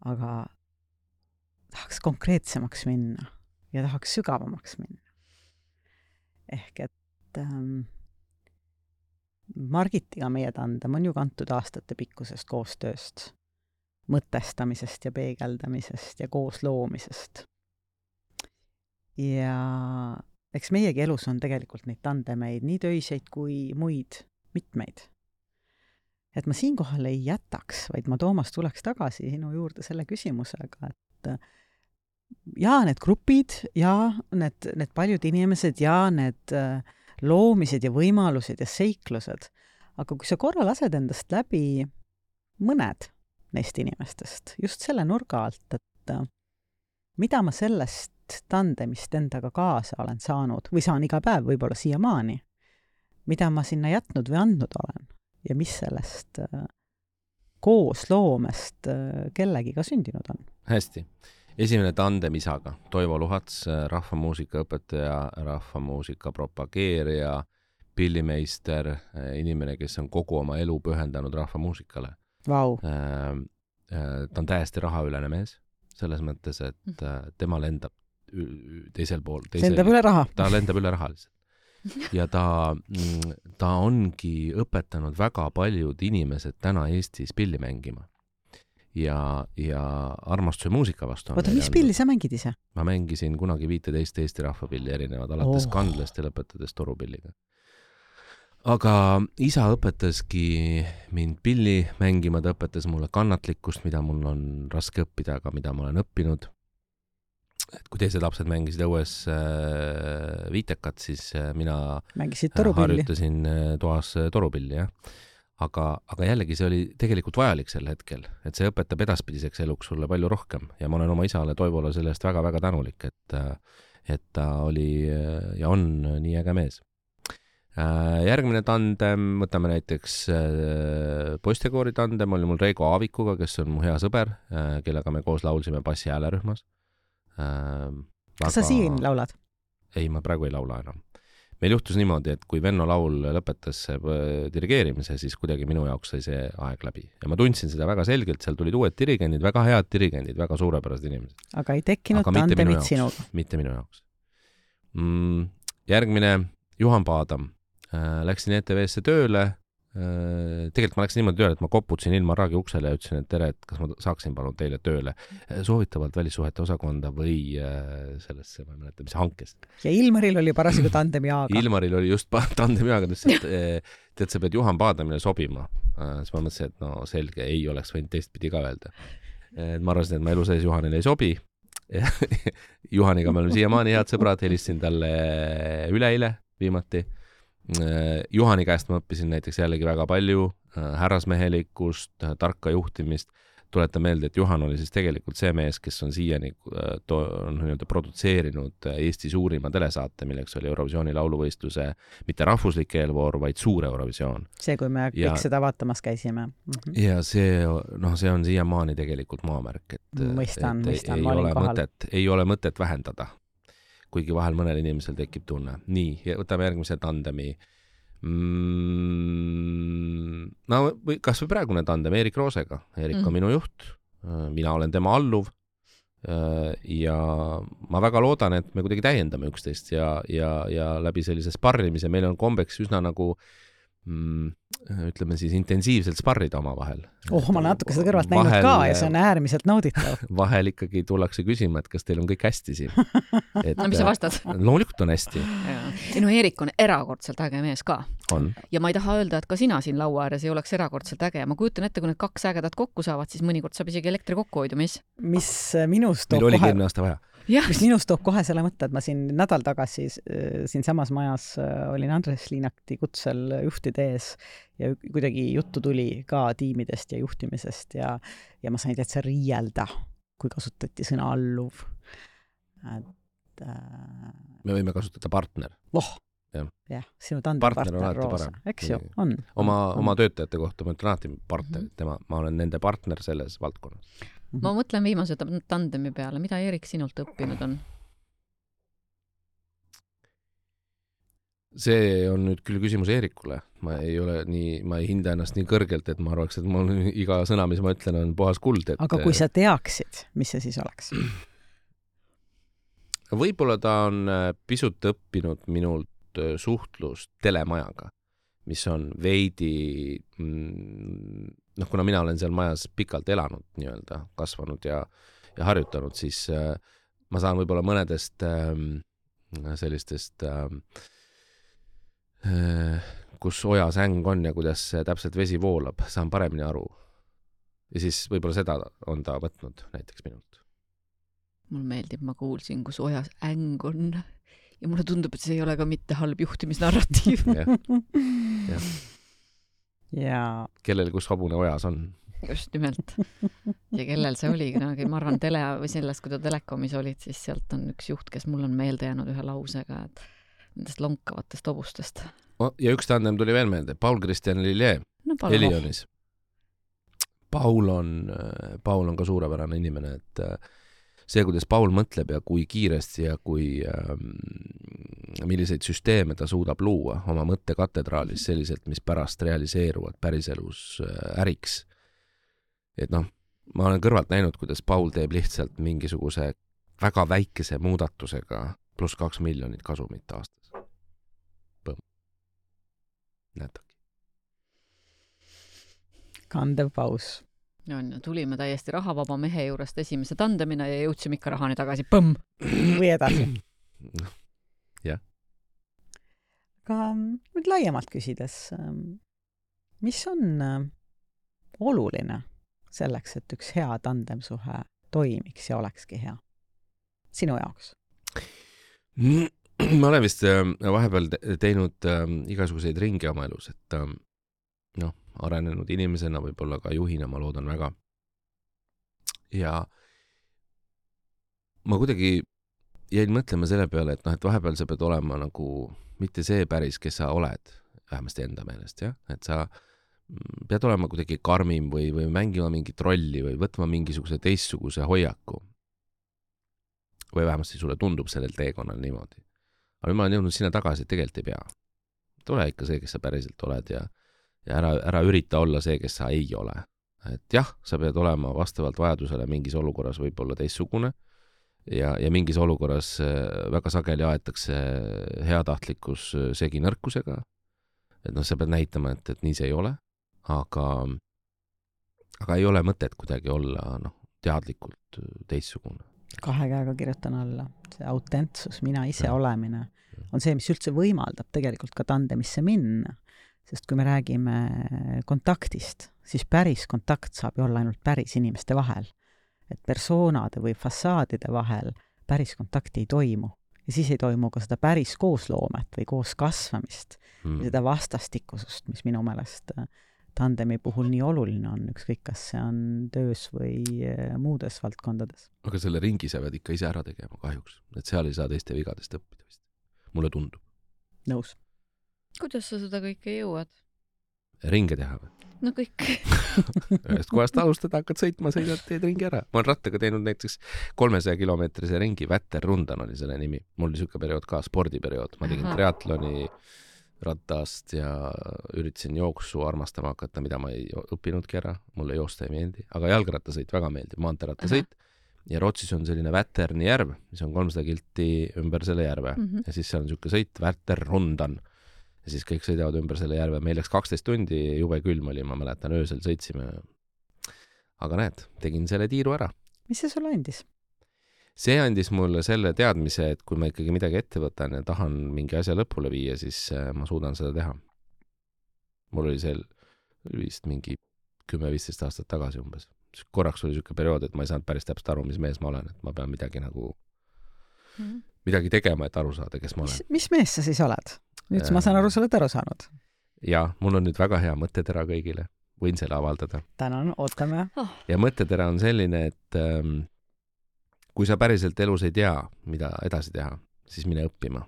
aga tahaks konkreetsemaks minna ja tahaks sügavamaks minna. Ehk et ähm, Margitiga meie tandem on ju kantud aastate pikkusest koostööst, mõtestamisest ja peegeldamisest ja koos loomisest. Ja eks meiegi elus on tegelikult neid tandemeid, nii töiseid kui muid mitmeid. Et ma siinkohal ei jätaks, vaid ma Toomas tuleks tagasi sinu juurde selle küsimusega, et ja need grupid ja need, need paljud inimesed ja need loomised ja võimalused ja seiklused, aga kui sa korra lased endast läbi mõned neist inimestest, just selle nurga alt, et mida ma sellest tandemist endaga kaasa olen saanud või saan iga päev võib-olla siiamaani, mida ma sinna jätnud või andnud olen ja mis sellest koos loomest kellegiga sündinud on. Hästi. Esimene tandem isaga, Toivo Luhats, rahvamuusika õpetaja, rahvamuusika propageerija, pillimeister, inimene, kes on kogu oma elu pühendanud rahvamuusikale. Wow. Ta on täiesti rahaülene mees, selles mõttes, et tema lendab teisel pool. Teisel, lendab üle raha. Ta lendab üle raha lihtsalt. Ja ta, ta ongi õpetanud väga paljud inimesed täna Eestis pilli mängima. Ja, ja armastuse muusika vastu. Oota, mis pilli sa mängid ise? Ma mängisin kunagi viiteist Eesti rahvapilli erinevad, alates oh. kandlast ja lõpetades torupilliga. Aga isa õpetaski mind pilli mängima, ta õpetas mulle kannatlikkust, mida mul on raske õppida, aga mida ma olen õppinud. Et kui teised lapsed mängisid õues äh, viitekat, siis äh, mina harjutasin äh, toas äh, torupilli, jah. Aga, aga jällegi see oli tegelikult vajalik sel hetkel, et see õpetab edaspidiseks eluks sulle palju rohkem ja ma olen oma isale Toivole sellest väga-väga tänulik, et, et ta oli ja on nii äge mees. Järgmine tandem, võtame näiteks poistekoori tandem, oli mul Reigo Aavikuga, kes on mu hea sõber, kellega me koos laulsime bassi häälerühmas. Väga... Kas sa siin laulad? Ei, ma praegu ei laula enam. Meil juhtus niimoodi, et kui Venno laul lõpetas dirigeerimise, siis kuidagi minu jaoks sai see aeg läbi. Ja ma tundsin seda väga selgelt, seal tulid uued dirigendid, väga head dirigendid, väga suurepärased inimesed. Aga ei tekkinud aga tandemit sinuga? Mitte minu jaoks. Mm, järgmine, Juhan Paadam. Läksin E T V-sse tööle. Tegelikult ma läksin niimoodi tööle, et ma koputasin ilma raagi uksele ja ütlesin, et tere, et kas ma saaksin palun teile tööle soovitavalt välissuhete osakonda või sellesse, ma ei mäleta, mis hankest. Ja Ilmaril oli parasjagu tandemiaaga. Ilmaril oli just tandemiaaga, et tead, sa pead Juhan Paadamile sobima. Siis ma mõtlesin, et no selge, ei oleks võinud teistpidi ka öelda. Ma arvasin, et ma elu sees Juhanile ei sobi. Juhaniga me oleme siiamaani head sõbrad, helistasin talle üleile viimati. Juhani käest ma õppisin näiteks jällegi väga palju härrasmehelikkust, tarka juhtimist. Tuletan meelde, et Juhan oli siis tegelikult see mees, kes on siiani to, on nii-öelda produtseerinud Eesti suurima telesaate, milleks oli Eurovisiooni lauluvõistluse mitte rahvuslik eelvoor, vaid suur Eurovisioon. See, kui me ja, kõik seda vaatamas käisime. Mm-hmm. Ja see, no, see on siiamaani tegelikult maamärk, et, mõistan, et mõistan, ei, ma olin kohal. Mõtet, ei ole mõtet vähendada. Kuigi vahel mõnel inimesel tekib tunne. Nii, võtame järgmise tandemi. Mm, no, või, kas või praegune tandem Erik Roosega. Erik on mm. minu juht, mina olen tema alluv ja ma väga loodan, et me kuidagi täiendame üksteist ja, ja, ja läbi sellise sparrimise meil on kombeks üsna nagu mm, ütleme siis intensiivselt sparrida oma vahel. Oh, ma natuke seda kõrvalt vahel, näinud ka ja see on äärmiselt nauditav. Vahel ikkagi tullakse küsima, et kas teil on kõik hästi siin. Et, no mis sa vastad? Loomulikult on hästi. Ja no Erik on erakordselt äge mees ka. On. Ja ma ei taha öelda, et ka sina siin laua ääres ei oleks erakordselt äge. Ma kujutan ette, kui need kaks ägedat kokku saavad, siis mõnikord saab isegi elektri kokkuhoidu, mis? Mis minust toob kohe... Meil oli eelmine aasta vaja. Ja. Mis minust toob kohe selle mõtte, et ma siin nädal tagasi siin samas majas olin Andres Liinakti kutsel juhtide ees ja kuidagi juttu tuli ka tiimidest ja juhtimisest ja, ja ma sain täitsa riielda, kui kasutati sõna alluv. Et, äh... me võime kasutada partner. Voh, jah, ja, sinu tandempartner Roosa, eks ju, on. Oma, on. oma töötajate kohta ma ütlen alati partner, mm -hmm. tema, ma olen nende partner selles valdkonnas. Mm -hmm. Ma mõtlen viimase tandemi peale, mida Erik sinult õppinud on? See on nüüd küll küsimus Eerikule. Ma ei ole nii, ma ei hinda ennast nii kõrgelt, et ma arvaks, et mul iga sõna, mis ma ütlen, on puhas kuld. Et... Aga kui sa teaksid, mis see siis oleks? Võib-olla ta on pisut õppinud minult suhtlust telemajaga, mis on veidi, noh, kuna mina olen seal majas pikalt elanud, nii-öelda kasvanud ja, ja harjutanud, siis ma saan võib-olla mõnedest sellistest kus ojas äng on ja kuidas täpselt vesi voolab, saan paremini aru. Ja siis võib-olla seda on ta võtnud näiteks minult. Mul meeldib, ma kuulsin, kus ojas äng on ja mulle tundub, et see ei ole ka mitte halb juhtimisnarratiiv. ja. Ja. Ja. Kellel kus hobune ojas on. Just nimelt. Ja kellel see oli, ma arvan tele või sellest, kui ta telekomis olid, siis sealt on üks juht, kes mul on meelde jäänud ühe lausega, et nendest lonkavatest hobustest. Ja üks tandem tuli veel meelde, Paul Christian Lillier, no, Elionis. Paul on, Paul on ka suurepärane inimene, et see, kuidas Paul mõtleb ja kui kiiresti ja kui milliseid süsteeme ta suudab luua oma mõttekatedraalis selliselt, mis pärast realiseeruvad päriselus äriks. Et noh, ma olen kõrvalt näinud, kuidas Paul teeb lihtsalt mingisuguse väga väikese muudatusega pluss kaks miljonit kasumit aastas. Põmm. Näetagi. Kandev paus. On, tulime täiesti rahavaba mehe juurest esimese tandemina ja jõudsime ikka rahani tagasi. Põmm! Või edasi. Jah. Aga nüüd laiemalt küsides, mis on oluline selleks, et üks hea tandemsuhe toimiks ja olekski hea? Sinu jaoks? Ma olen vist vahepeal teinud igasuguseid ringi oma elus, et noh, arenenud inimesena, võib-olla ka juhina, ma loodan väga. Ja ma kuidagi jäin mõtlema selle peale, et noh, et vahepeal sa pead olema nagu mitte see päris, kes sa oled, vähemasti enda meelest, jah? Et sa pead olema kuidagi karmim või, või mängima mingit rolli või võtma mingisuguse teistsuguse hoiaku. Või vähemasti sulle tundub sellel teekonnal niimoodi. Aga ma olen jõudnud sinna tagasi, et tegelikult ei pea. Tule ikka see, kes sa päriselt oled ja, ja ära, ära ürita olla see, kes sa ei ole. Et jah, sa pead olema vastavalt vajadusele mingis olukorras võib-olla teistsugune ja, ja mingis olukorras väga sageli aetakse heatahtlikkus segi nõrkusega. Et noh, sa pead näitama, et, et nii see ei ole, aga, aga ei ole mõtet kuidagi olla noh, teadlikult teistsugune. Kahe käega kirjutan alla. See autentsus, mina ise ja. Olemine on see, mis üldse võimaldab tegelikult ka tandemisse minna. Sest kui me räägime kontaktist, siis päris kontakt saab ju olla ainult päris inimeste vahel. Et persoonade või fassaadide vahel päris kontakti ei toimu. Ja siis ei toimu ka seda päris koosloomet või koos kasvamist. Mm. Seda vastastikusust, mis minu meelest tandemi puhul nii oluline on, ükskõik kas see on töös või muudes valdkondades. Aga selle ringi sa pead ikka ise ära tegema kahjuks. Et seal ei saa teiste vigadest õppida vist. Mulle tundub. Nõus. Kuidas sa seda kõike jõuad? Ringe teha või? No kõik. Ühest kohast alustada, hakkad sõitma, sõidad, teed ringi ära. Ma olen rattaga teinud näiteks kolmesaja kilomeetrise ringi, Vätter Rundan oli selle nimi. Mul oli siuke periood ka, spordiperiood. Ma tegin Aha. triatloni rattast ja üritasin jooksu armastama hakata, mida ma ei õppinudki ära. Mulle joosta ei meeldi, aga jalgrattasõit väga meeldib, maanteerattasõit. Ja Rootsis on selline Väterni järv, mis on kolmsada kilti ümber selle järve. Mm -hmm. Ja siis seal on siuke sõit, Vätter Rundan. Ja siis kõik sõidavad ümber selle järve. Meil läks kaksteist tundi, jube külm oli, ma mäletan, öösel sõitsime. Aga näed, tegin selle tiiru ära. Mis see sulle andis? See andis mulle selle teadmise, et kui ma ikkagi midagi ette võtan ja tahan mingi asja lõpule viia, siis ma suudan seda teha. Mul oli seal vist mingi kümme viisteist aastat tagasi umbes. Korraks oli siuke periood, et ma ei saanud päris täpselt aru, mis mees ma olen, et ma pean midagi nagu mm. midagi tegema, et aru saada, kes ma olen. Mis, mis mees sa siis oled? Nüüd äh, ma saan aru, sa oled aru saanud. Ja, mul on nüüd väga hea mõttetera kõigile. Võin selle avaldada. Tänan, ootame. Oh. Ja mõttetera on selline, et ähm, kui sa päriselt elus ei tea, mida edasi teha, siis mine õppima.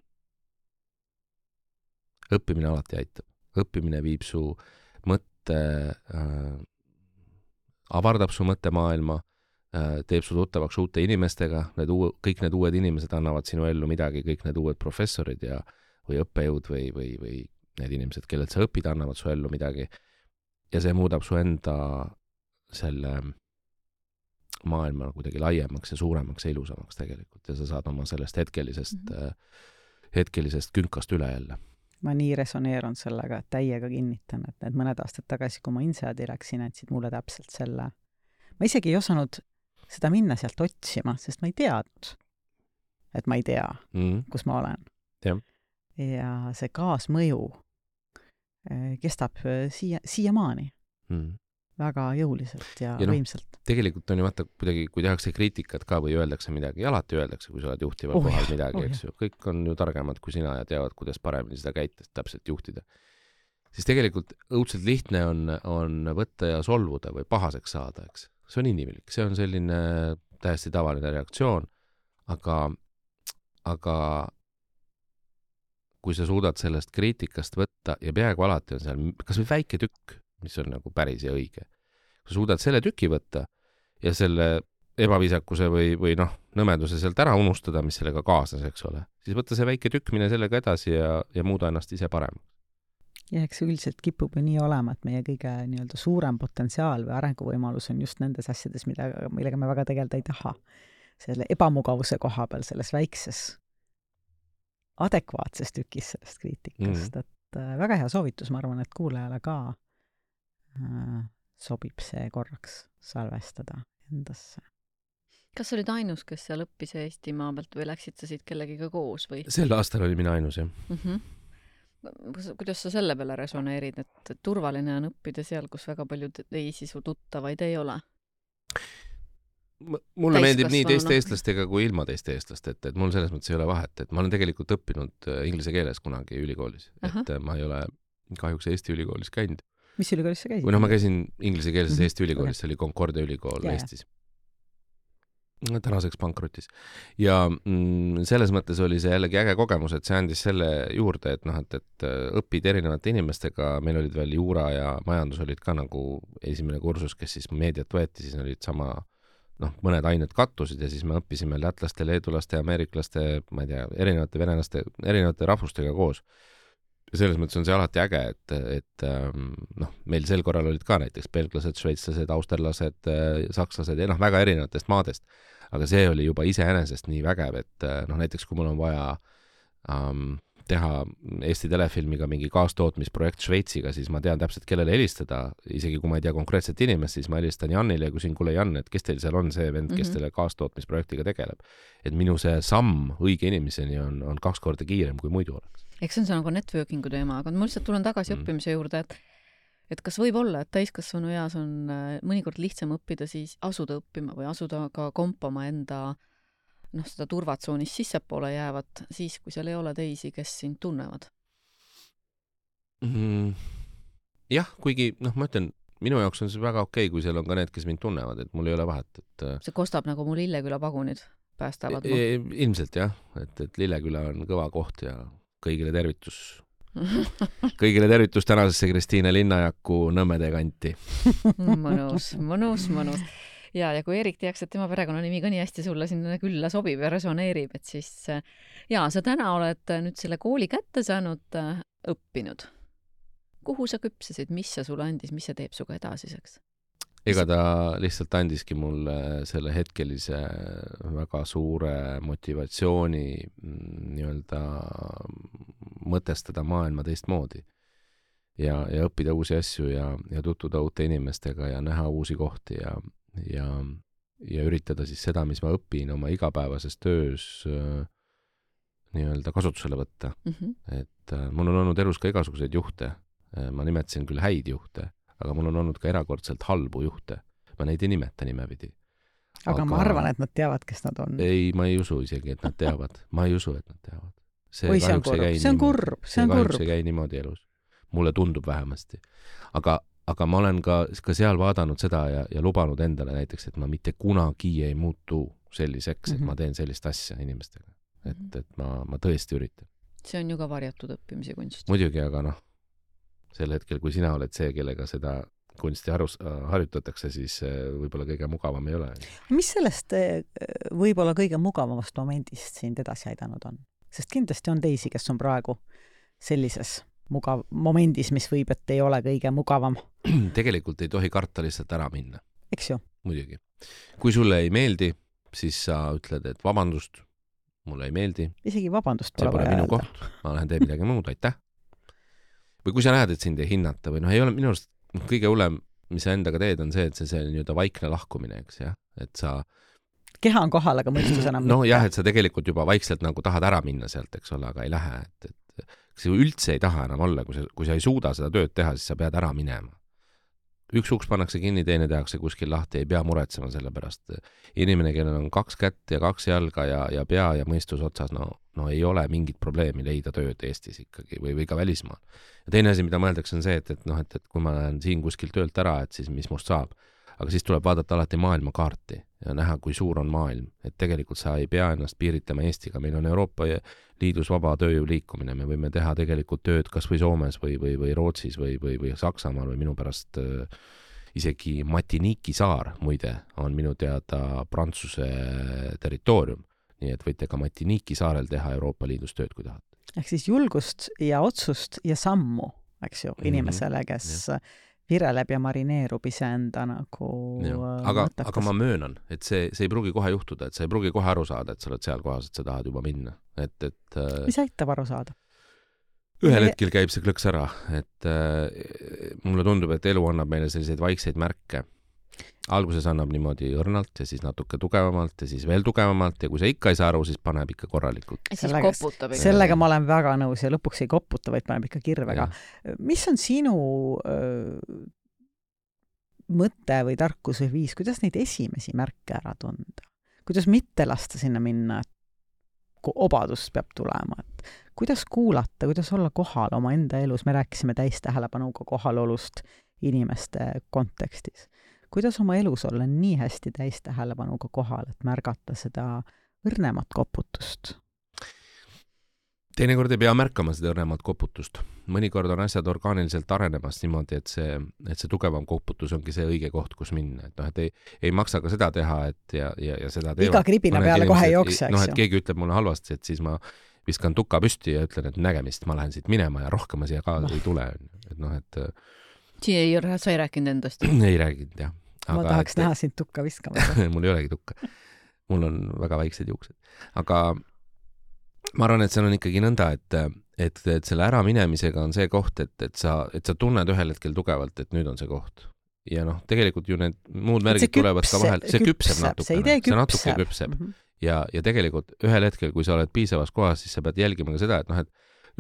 Õppimine alati aitab. Õppimine viib su mõtte, äh, avardab su mõttemaailma, äh, teeb su tuttavaks uute inimestega, need uu, kõik need uued inimesed annavad sinu ellu midagi, kõik need uued professorid ja, või õppejõud või, või, või need inimesed, kellelt sa õpid, annavad su ellu midagi. Ja see muudab su enda selle maailma kuidagi laiemaks ja suuremaks ja ilusamaks tegelikult ja sa saad oma sellest hetkelisest, mm-hmm. hetkelisest künkast üle jälle. Ma nii resoneerun sellega, et täiega kinnitan, et need mõned aastad tagasi, kui ma Inseadi läksin, andsid mulle täpselt selle. Ma isegi ei osanud seda minna sealt otsima, sest ma ei teadnud, et ma ei tea, mm-hmm. kus ma olen. Ja, ja see kaasmõju kestab siia, siiamaani. Mm. Väga jõuliselt ja, ja no, võimsalt. Tegelikult on ju vaata kuidagi, kui tehakse kriitikat ka või öeldakse midagi, alati öeldakse, kui sa oled juhtival oh, kohal midagi, oh, eks ju. Kõik on ju targemad kui sina ja teavad, kuidas paremini seda käitest täpselt juhtida. Siis tegelikult õudselt lihtne on, on võtta ja solvuda või pahaseks saada, eks. See on inimlik, see on selline täiesti tavaline reaktsioon, aga, aga kui sa suudad sellest kriitikast võtta ja peaaegu alati on seal kas või väike tükk, mis on nagu päris ja õige. Kui suudad selle tüki võtta ja selle ebaviisakuse või, või noh, nõmeduse sealt ära unustada, mis sellega kaasnes, eks ole, siis võtta see väike tükk, mine sellega edasi ja, ja muuda ennast ise paremaks. Ja eks üldiselt kipub ju nii olema, et meie kõige nii-öelda suurem potentsiaal või arenguvõimalus on just nendes asjades, mida, millega me väga tegelda ei taha. Selle ebamugavuse koha peal, selles väikses adekvaatses tükis sellest kriitikast, mm. et äh, väga hea soovitus, ma arvan, et kuulajale ka sobib see korraks salvestada endasse. Kas olid ainus, kes seal õppis Eestimaa pealt või läksid sa siit kellegiga koos? Või? Sel aastal oli mina ainus, jah. Mm-hmm. Kuidas sa selle peale resoneerid, et turvaline on õppida seal, kus väga palju teisi su tuttavaid ei ole? Mulle meeldib nii teiste eestlastega kui ilma teiste eestlast, et, et mul selles mõttes ei ole vahet, et ma olen tegelikult õppinud inglise keeles kunagi ülikoolis, Aha. et ma ei ole kahjuks Eesti ülikoolis käinud. Mis ülikoolis sa käisid? Või noh, ma käisin inglise keelses mm-hmm. Eesti ülikoolis, see oli Concordia ülikool yeah. Eestis. Tänaseks pankrotis. Ja mm, selles mõttes oli see jällegi äge kogemus, et see andis selle juurde, et noh, et, et õpid erinevate inimestega, meil olid veel juura ja majandus olid ka nagu esimene kursus, kes siis meediat võeti, siis olid sama, noh, mõned ained kattusid ja siis me õppisime lätlaste, leedulaste, ameeriklaste, ma ei tea, erinevate venelaste, erinevate rahvustega koos. Ja selles mõttes on see alati äge, et, et noh, meil sel korral olid ka näiteks belglased, šveitslased, austerlased, sakslased ja noh, väga erinevatest maadest. Aga see oli juba iseenesest nii vägev, et noh, näiteks kui mul on vaja um, teha Eesti telefilmiga mingi kaastootmisprojekt Šveitsiga, siis ma tean täpselt, kellele helistada, isegi kui ma ei tea konkreetset inimest, siis ma helistan Jannile ja küsin, kuule Jan, et kes teil seal on see vend, kes teile kaastootmisprojektiga tegeleb. Et minu see samm õige inimeseni on, on kaks korda kiirem, kui muidu oleks. Eks see on see nagu networkingu teema, aga ma lihtsalt tulen tagasi mm. õppimise juurde, et, et kas võib olla, et täiskasvanu eas on mõnikord lihtsam õppida siis asuda õppima või asuda ka kompama enda noh, seda turvatsoonis sissepoole jäävat siis, kui seal ei ole teisi, kes sind tunnevad? Mm, jah, kuigi, noh, ma ütlen, minu jaoks on see väga okei, kui seal on ka need, kes mind tunnevad, et mul ei ole vahet. Et... See kostab nagu mu Lilleküla pagunid päästavad. E, ilmselt jah, et, et Lilleküla on kõva koht ja kõigile tervitus. Kõigile tervitus tänasesse Kristiine Linnajaku Nõmmede kanti. mõnus, mõnus, mõnus. Ja, ja kui Erik teaks, et tema perekonnanimi ka nii hästi sulle sinna külla sobib ja resoneerib, et siis ja, sa täna oled nüüd selle kooli kätte saanud õppinud. Kuhu sa küpsesid, mis sa sulle andis, mis see teeb suga edasiseks? Ega ta lihtsalt andiski mulle selle hetkelise väga suure motivatsiooni nii-öelda mõtestada maailma teistmoodi ja, ja õppida uusi asju ja, ja tutvuda uute inimestega ja näha uusi kohti ja, ja, ja üritada siis seda, mis ma õpin oma igapäevases töös nii-öelda kasutusele võtta. Mm-hmm. Et mul on olnud elus ka igasuguseid juhte. Ma nimetasin küll häid juhte, aga mul on olnud ka erakordselt halbu juhte. Ma neid ei nimeta nimepidi. Aga, aga ma arvan, et nad teavad, kes nad on. Ei, ma ei usu isegi, et nad teavad. Ma ei usu, et nad teavad. See, Oi, see on kurb, see on kurb, see on kurb. See käi niimoodi elus. Mulle tundub vähemasti. Aga, aga ma olen ka, ka seal vaadanud seda ja, ja lubanud endale näiteks, et ma mitte kunagi ei muutu selliseks, et mm-hmm. ma teen sellist asja inimestega. et, et ma, ma tõesti üritan. See on ju ka varjatud õppimise kunst. Muidugi, aga noh, sel hetkel, kui sina oled see, kellega seda kunsti harus, harjutatakse, siis võib-olla kõige mugavam ei ole. Mis sellest võib-olla kõige mugavamast momendist sind edasi aidanud on? Sest kindlasti on teisi, kes on praegu sellises mugav momendis, mis võib, et ei ole kõige mugavam. Tegelikult ei tohi karta lihtsalt ära minna. Eks ju? Muidugi. Kui sulle ei meeldi, siis sa ütled, et vabandust, mulle ei meeldi. Isegi vabandust pole vaja öelda. See pole minu koht, ma lähen teen midagi muud, aitäh. Või kui sa näed, et sind ei hinnata või noh, ei ole minu arust kõige hullem, mis sa endaga teed, on see, et see, see nii-öelda vaikne lahkumine, eks jah, et sa keha on kohal, aga mõistus enam no mitte. Jah, et sa tegelikult juba vaikselt nagu tahad ära minna sealt, eks ole, aga ei lähe, et, et sa üldse ei taha enam olla, kui sa, kui sa ei suuda seda tööd teha, siis sa pead ära minema. Üks uks pannakse kinni, teine tehakse kuskil lahti, ei pea muretsema selle pärast. Inimene, kellel on kaks kätt ja kaks jalga ja, ja pea ja mõistus otsas, no, no ei ole mingit probleemi leida tööd Eestis ikkagi või, või ka välismaal. Ja teine asi, mida mõeldakse, on see, et, et, noh, et, et kui ma lähen siin kuskil töölt ära, et siis mis must saab. Aga siis tuleb vaadata alati maailmakaarti ja näha, kui suur on maailm. Et tegelikult sa ei pea ennast piiritlema Eestiga. Meil on Euroopa Liidus vaba tööjõu liikumine. Me võime teha tegelikult tööd kas või Soomes või, või, või Rootsis või, või, või Saksamaal või minu pärast äh, isegi Martinique'i saar, muide, on minu teada Prantsuse territoorium. Nii et võite ka Martinique'i saarel teha Euroopa Liidus tööd, kui tahate. Ehk siis julgust ja otsust ja sammu, eks ju, inimesele, kes mm-hmm. vireleb ja marineerub iseenda nagu aga, aga ma möönan, et see, see ei pruugi kohe juhtuda, et sa ei pruugi kohe aru saada, et sa oled seal kohas, et sa tahad juba minna. Et, et, mis aitab aru saada? Ühel hetkel käib see klõks ära, et äh, mulle tundub, et elu annab meile selliseid vaikseid märke. Alguses annab niimoodi õrnalt ja siis natuke tugevamalt ja siis veel tugevamalt ja kui sa ikka ei saa aru, siis paneb ikka korralikult. Ja siis sellega, koputab. Sellega ma olen väga nõus ja lõpuks ei koputa, vaid paneb ikka kirvega. Ja. Mis on sinu öö, mõte või tarkus või viis, kuidas neid esimesi märke ära tunda? Kuidas mitte lasta sinna minna, et obadust peab tulema? Et kuidas kuulata, kuidas olla kohal oma enda elus? Me rääkisime täistähelepanuga kohalolust inimeste kontekstis. Kuidas oma elus olla nii hästi täistähelepanuga kohal, et märgata seda õrnemat koputust? Teinekord ei pea märkama seda õrnemat koputust. Mõnikord on asjad orgaaniliselt arenemas niimoodi, et see, et see tugevam koputus ongi see õige koht, kus minna. Et noh, et ei, ei maksa ka seda teha, et ja, ja, ja seda teevad. Iga kribina peale kohe ei jookse, noh, et keegi ütleb mulle halvasti, et siis ma viskan tuka püsti ja ütlen, et nägemist, ma lähen siit minema ja rohkem ma siia ka no. ei tule. Et noh, et Siin ei, sa ei rääkinud endast? ei rääkinud, jah. Aga ma tahaks et, näha sind tukka viskama. mul ei olegi tukka. Mul on väga väiksed juuksed. Aga ma arvan, et seal on ikkagi nõnda, et, et, et selle äraminemisega on see koht, et, et, sa, et sa tunned ühel hetkel tugevalt, et nüüd on see koht. Ja noh, tegelikult ju need muud märgid küpse, tulevad ka vahel. See küpseb, küpseb natukene. See, see natuke küpseb. Mm-hmm. Ja, ja tegelikult ühel hetkel, kui sa oled piisavas kohas, siis sa pead jälgima ka seda, et noh, et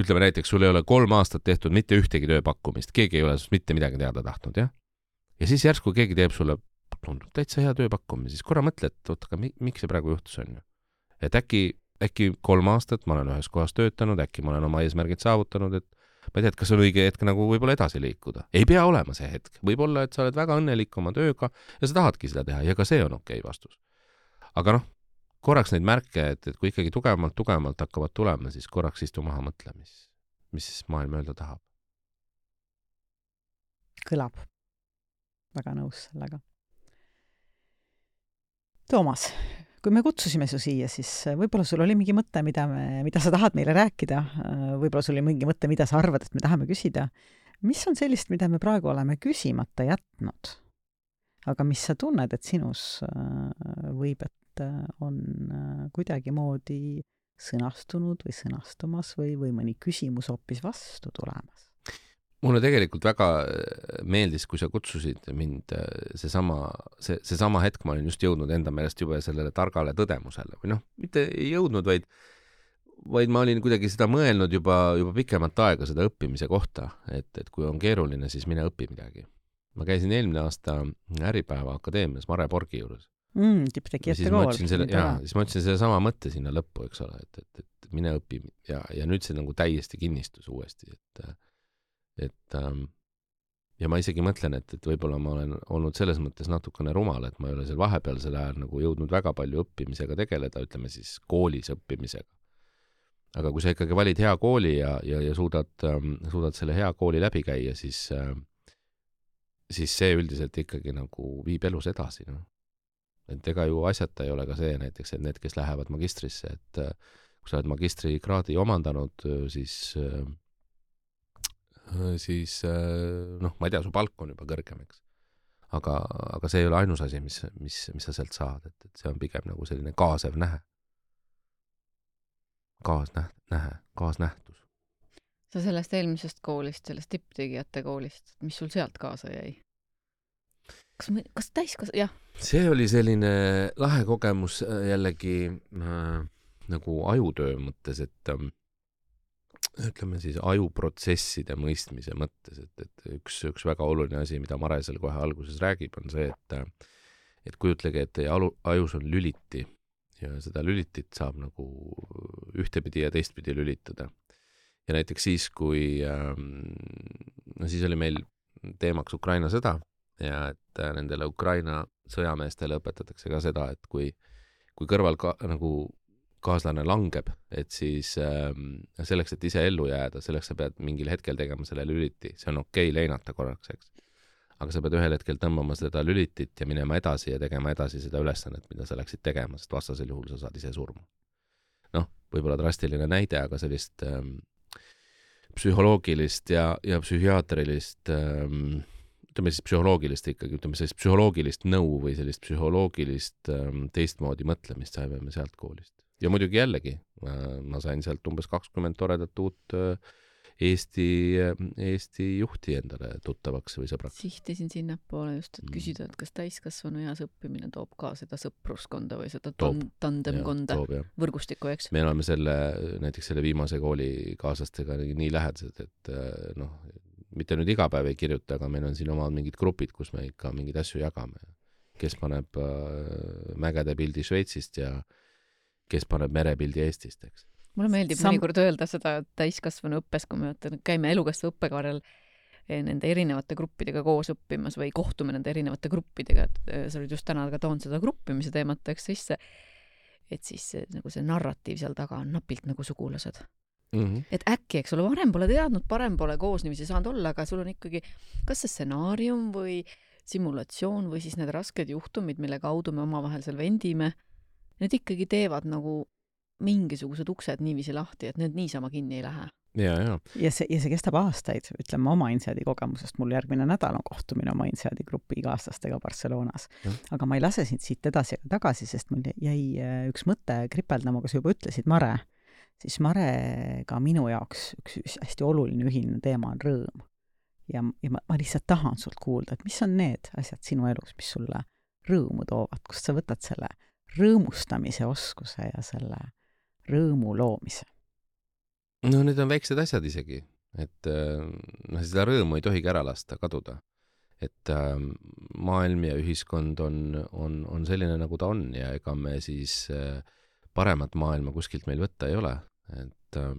ütleme näiteks, sul ei ole kolm aastat tehtud mitte ühtegi tööpakkumist, keegi ei ole mitte midagi teada tahtnud, jah? Ja siis järsku keegi teeb sulle, tundub täitsa hea tööpakkumine, siis korra mõtle, et oot, aga miks see praegu juhtus on ju? Et äkki, äkki kolm aastat ma olen ühes kohas töötanud, äkki ma olen oma eesmärgid saavutanud, et ma ei tea, et kas on õige hetk nagu võib-olla edasi liikuda. Ei pea olema see hetk. Võib-olla, et sa oled väga õnnelik oma tööga ja sa tahadki seda teha ja ka see on okei vastus. Aga noh, korraks neid märke, et, et kui ikkagi tugevamalt, tugevamalt hakkavad tulema, siis korraks istu maha mõtle, mis, mis maailm öelda tahab. Kõlab. Väga nõus sellega. Toomas, kui me kutsusime su siia, siis võib-olla sul oli mingi mõte, mida, me, mida sa tahad meile rääkida. Võib-olla sul oli mingi mõte, mida sa arvad, et me tahame küsida. Mis on sellist, mida me praegu oleme küsimata jätnud? Aga mis sa tunned, et sinus võib, et on kuidagi moodi sõnastunud või sõnastumas või, või mõni küsimus hoopis vastu tulemas? Mulle tegelikult väga meeldis, kui sa kutsusid mind seesama, see, seesama hetk, ma olin just jõudnud enda meelest juba sellele targale tõdemusele. Või noh, mitte ei jõudnud, vaid, vaid ma olin kuidagi seda mõelnud juba, juba pikemat aega seda õppimise kohta, et, et kui on keeruline, siis mine õpi midagi. Ma käisin eelmine aasta Äripäeva akadeemias Mare Borgi juures. Mm, tipptegijate kool. Selle, jaa, siis ma ütlesin selle sama mõtte sinna lõppu, eks ole, et, et, et mine õpi ja, ja nüüd see nagu täiesti kinnistus uuesti, et et ähm, ja ma isegi mõtlen, et, et võib-olla ma olen olnud selles mõttes natukene rumal, et ma ei ole seal vahepeal selle ajal nagu jõudnud väga palju õppimisega tegeleda, ütleme siis koolis õppimisega. aga kui sa ikkagi valid hea kooli ja, ja, ja suudad, suudad selle hea kooli läbi käia, siis, siis see üldiselt ikkagi nagu viib elus edasi. No. Et ega ju asjata ei ole ka see näiteks, et need, kes lähevad magistrisse, et kui sa oled magistrikraadi omandanud, siis, siis noh, ma ei tea, su palk on juba kõrgem, eks. Aga, aga see ei ole ainus asi, mis, mis, mis sa sealt saad, et, et see on pigem nagu selline kaasev nähe. Kaasnäht, nähe, kaasnähtus. Sa sellest eelmisest koolist, sellest tipptegijate koolist, mis sul sealt kaasa jäi? Kas, kas täiskas, jah? See oli selline lahe kogemus jällegi äh, nagu ajutöö mõttes, et äh, ütleme siis ajuprotsesside mõistmise mõttes, et, et üks, üks väga oluline asi, mida Mare seal kohe alguses räägib, on see, et, et kujutlege, et teie alu, ajus on lüliti ja seda lülitit saab nagu ühtepidi ja teistpidi lülitada. Ja näiteks siis, kui no siis oli meil teemaks Ukraina sõda ja et nendele Ukraina sõjameestele õpetatakse ka seda, et kui, kui kõrval ka, nagu kaaslane langeb, et siis selleks, et ise ellu jääda, selleks sa pead mingil hetkel tegema selle lüliti. See on okei leinata korraks, eks. Aga sa pead ühel hetkel tõmbama seda lülitit ja minema edasi ja tegema edasi seda ülesannet, mida sa läksid tegema, sest vastasel juhul sa saad ise surma. Noh, võib-olla drastiline näide, aga sellist ähm, psühholoogilist ja, ja psühhiaatrilist ähm, ütleme siis psühholoogilist ikkagi, ütleme sellist psühholoogilist nõu või sellist psühholoogilist ähm, teistmoodi mõtlemist saime me sealt koolist. Ja muidugi jällegi, äh, ma sain sealt umbes kakskümmend toredat uut äh, Eesti, Eesti juhti endale tuttavaks või sõbraks. Sihtisin sinna poole just, et küsida, et kas täiskasvanu eas õppimine toob ka seda sõpruskonda või seda toob, tandemkonda, ja, võrgustikku, eks? Me oleme selle, näiteks selle viimase kooli kaaslastega nii lähedased, et noh, mitte nüüd iga päev ei kirjuta, aga meil on siin omad mingid grupid, kus me ikka mingid asju jagame. Kes paneb mägede pildi Šveitsist ja kes paneb merepildi Eestist, eks. Mulle meeldib Sam... mõnikord öelda seda täiskasvanu õppes, kui me käime elukastva õppekaarel nende erinevate gruppidega koos õppimas või kohtume nende erinevate gruppidega, et sa olid just täna ka toon seda gruppimise teemat eks sisse, et siis nagu see narratiiv seal taga on napilt nagu sugulased. Mm-hmm. Et äkki, eks ole, varem pole teadnud, parem pole koos niiviisi saanud olla, aga sul on ikkagi kas see stsenaarium või simulatsioon või siis need rasked juhtumid, mille kaudu me omavahel seal vendime, need ikkagi teevad nagu mingisugused uksed niiviisi lahti, et need niisama kinni ei lähe. Ja, ja. Ja, see, ja see kestab aastaid, ütleme oma Inseadi kogemusest, mul järgmine nädal on kohtumine oma Inseadi grupi igaaslastega Barcelonas. Ja. Aga ma ei lase sind siit edasi ja tagasi, sest mul jäi üks mõte kripeldama, kui sa juba ütlesid Mare, siis Marega minu jaoks üks hästi oluline ühine teema on rõõm. Ja, ja ma, ma lihtsalt tahan sult kuulda, et mis on need asjad sinu elus, mis sulle rõõmu toovad, kust sa võtad selle rõõmustamise oskuse ja selle rõõmu loomise? No need on väiksed asjad isegi, et no, seda rõõmu ei tohigi ära lasta, kaduda. Et äh, maailm ja ühiskond on, on, on selline, nagu ta on ja ega me siis äh, paremat maailma kuskilt meil võtta ei ole. Et äh,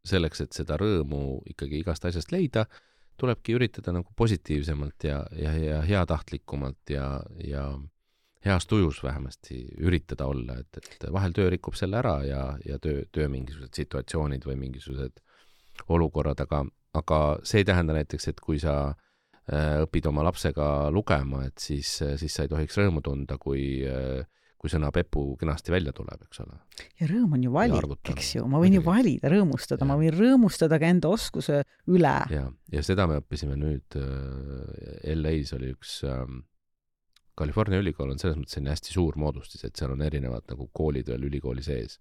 selleks, et seda rõõmu ikkagi igast asjast leida, tulebki üritada nagu positiivsemalt ja, ja, ja heatahtlikumalt ja, ja heas tujus vähemasti üritada olla, et, et vahel töö rikub selle ära ja, ja töö, töö mingisugused situatsioonid või mingisugused olukorrad, aga, aga see ei tähenda näiteks, et kui sa äh, õpid oma lapsega lugema, et siis, siis sa ei tohiks rõõmu tunda, kui, äh, kui sõna Pepu kenasti välja tuleb, eks ole. Ja rõõm on ju valik, eks ju, ma võin ju valida rõõmustada, ja. Ma võin rõõmustada ka enda oskuse üle. Ja, ja seda me õppisime nüüd äh, L A's oli üks äh, California ülikool on selles mõttes hästi suur moodustis, et seal on erinevad nagu koolid veel ülikooli sees.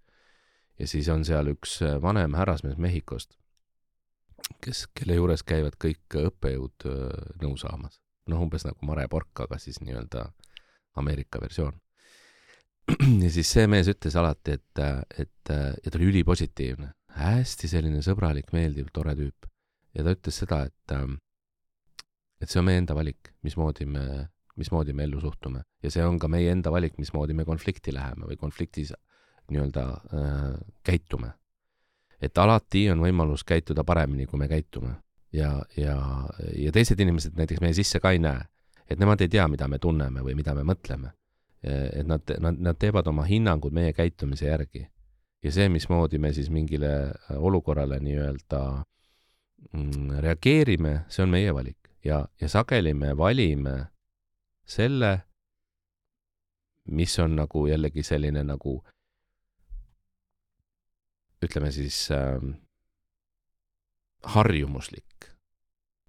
Ja siis on seal üks vanem härrasmees Mehhikost, kes, kelle juures käivad kõik õppejõud nõu saamas. Noh, umbes nagu Mare Pork, aga siis nii-öelda Ameerika versioon. Ja siis see mees ütles alati, et, et ja ta oli ülipositiivne, hästi selline sõbralik, meeldiv, tore tüüp. Ja ta ütles seda, et, et see on meie enda valik, mismoodi me mismoodi me ellu suhtume. Ja see on ka meie enda valik, mismoodi me konflikti läheme või konfliktis nii-öelda äh, käitume. Et alati on võimalus käituda paremini, kui me käitume. Ja, ja, ja teised inimesed näiteks meie sisse ka ei näe. Et nemad ei tea, mida me tunneme või mida me mõtleme. Et nad, nad, nad teevad oma hinnangud meie käitumise järgi. ja see, mismoodi me siis mingile olukorrale nii-öelda reageerime, see on meie valik ja, ja sageli me valime selle, mis on nagu jällegi selline nagu ütleme siis äh, harjumuslik.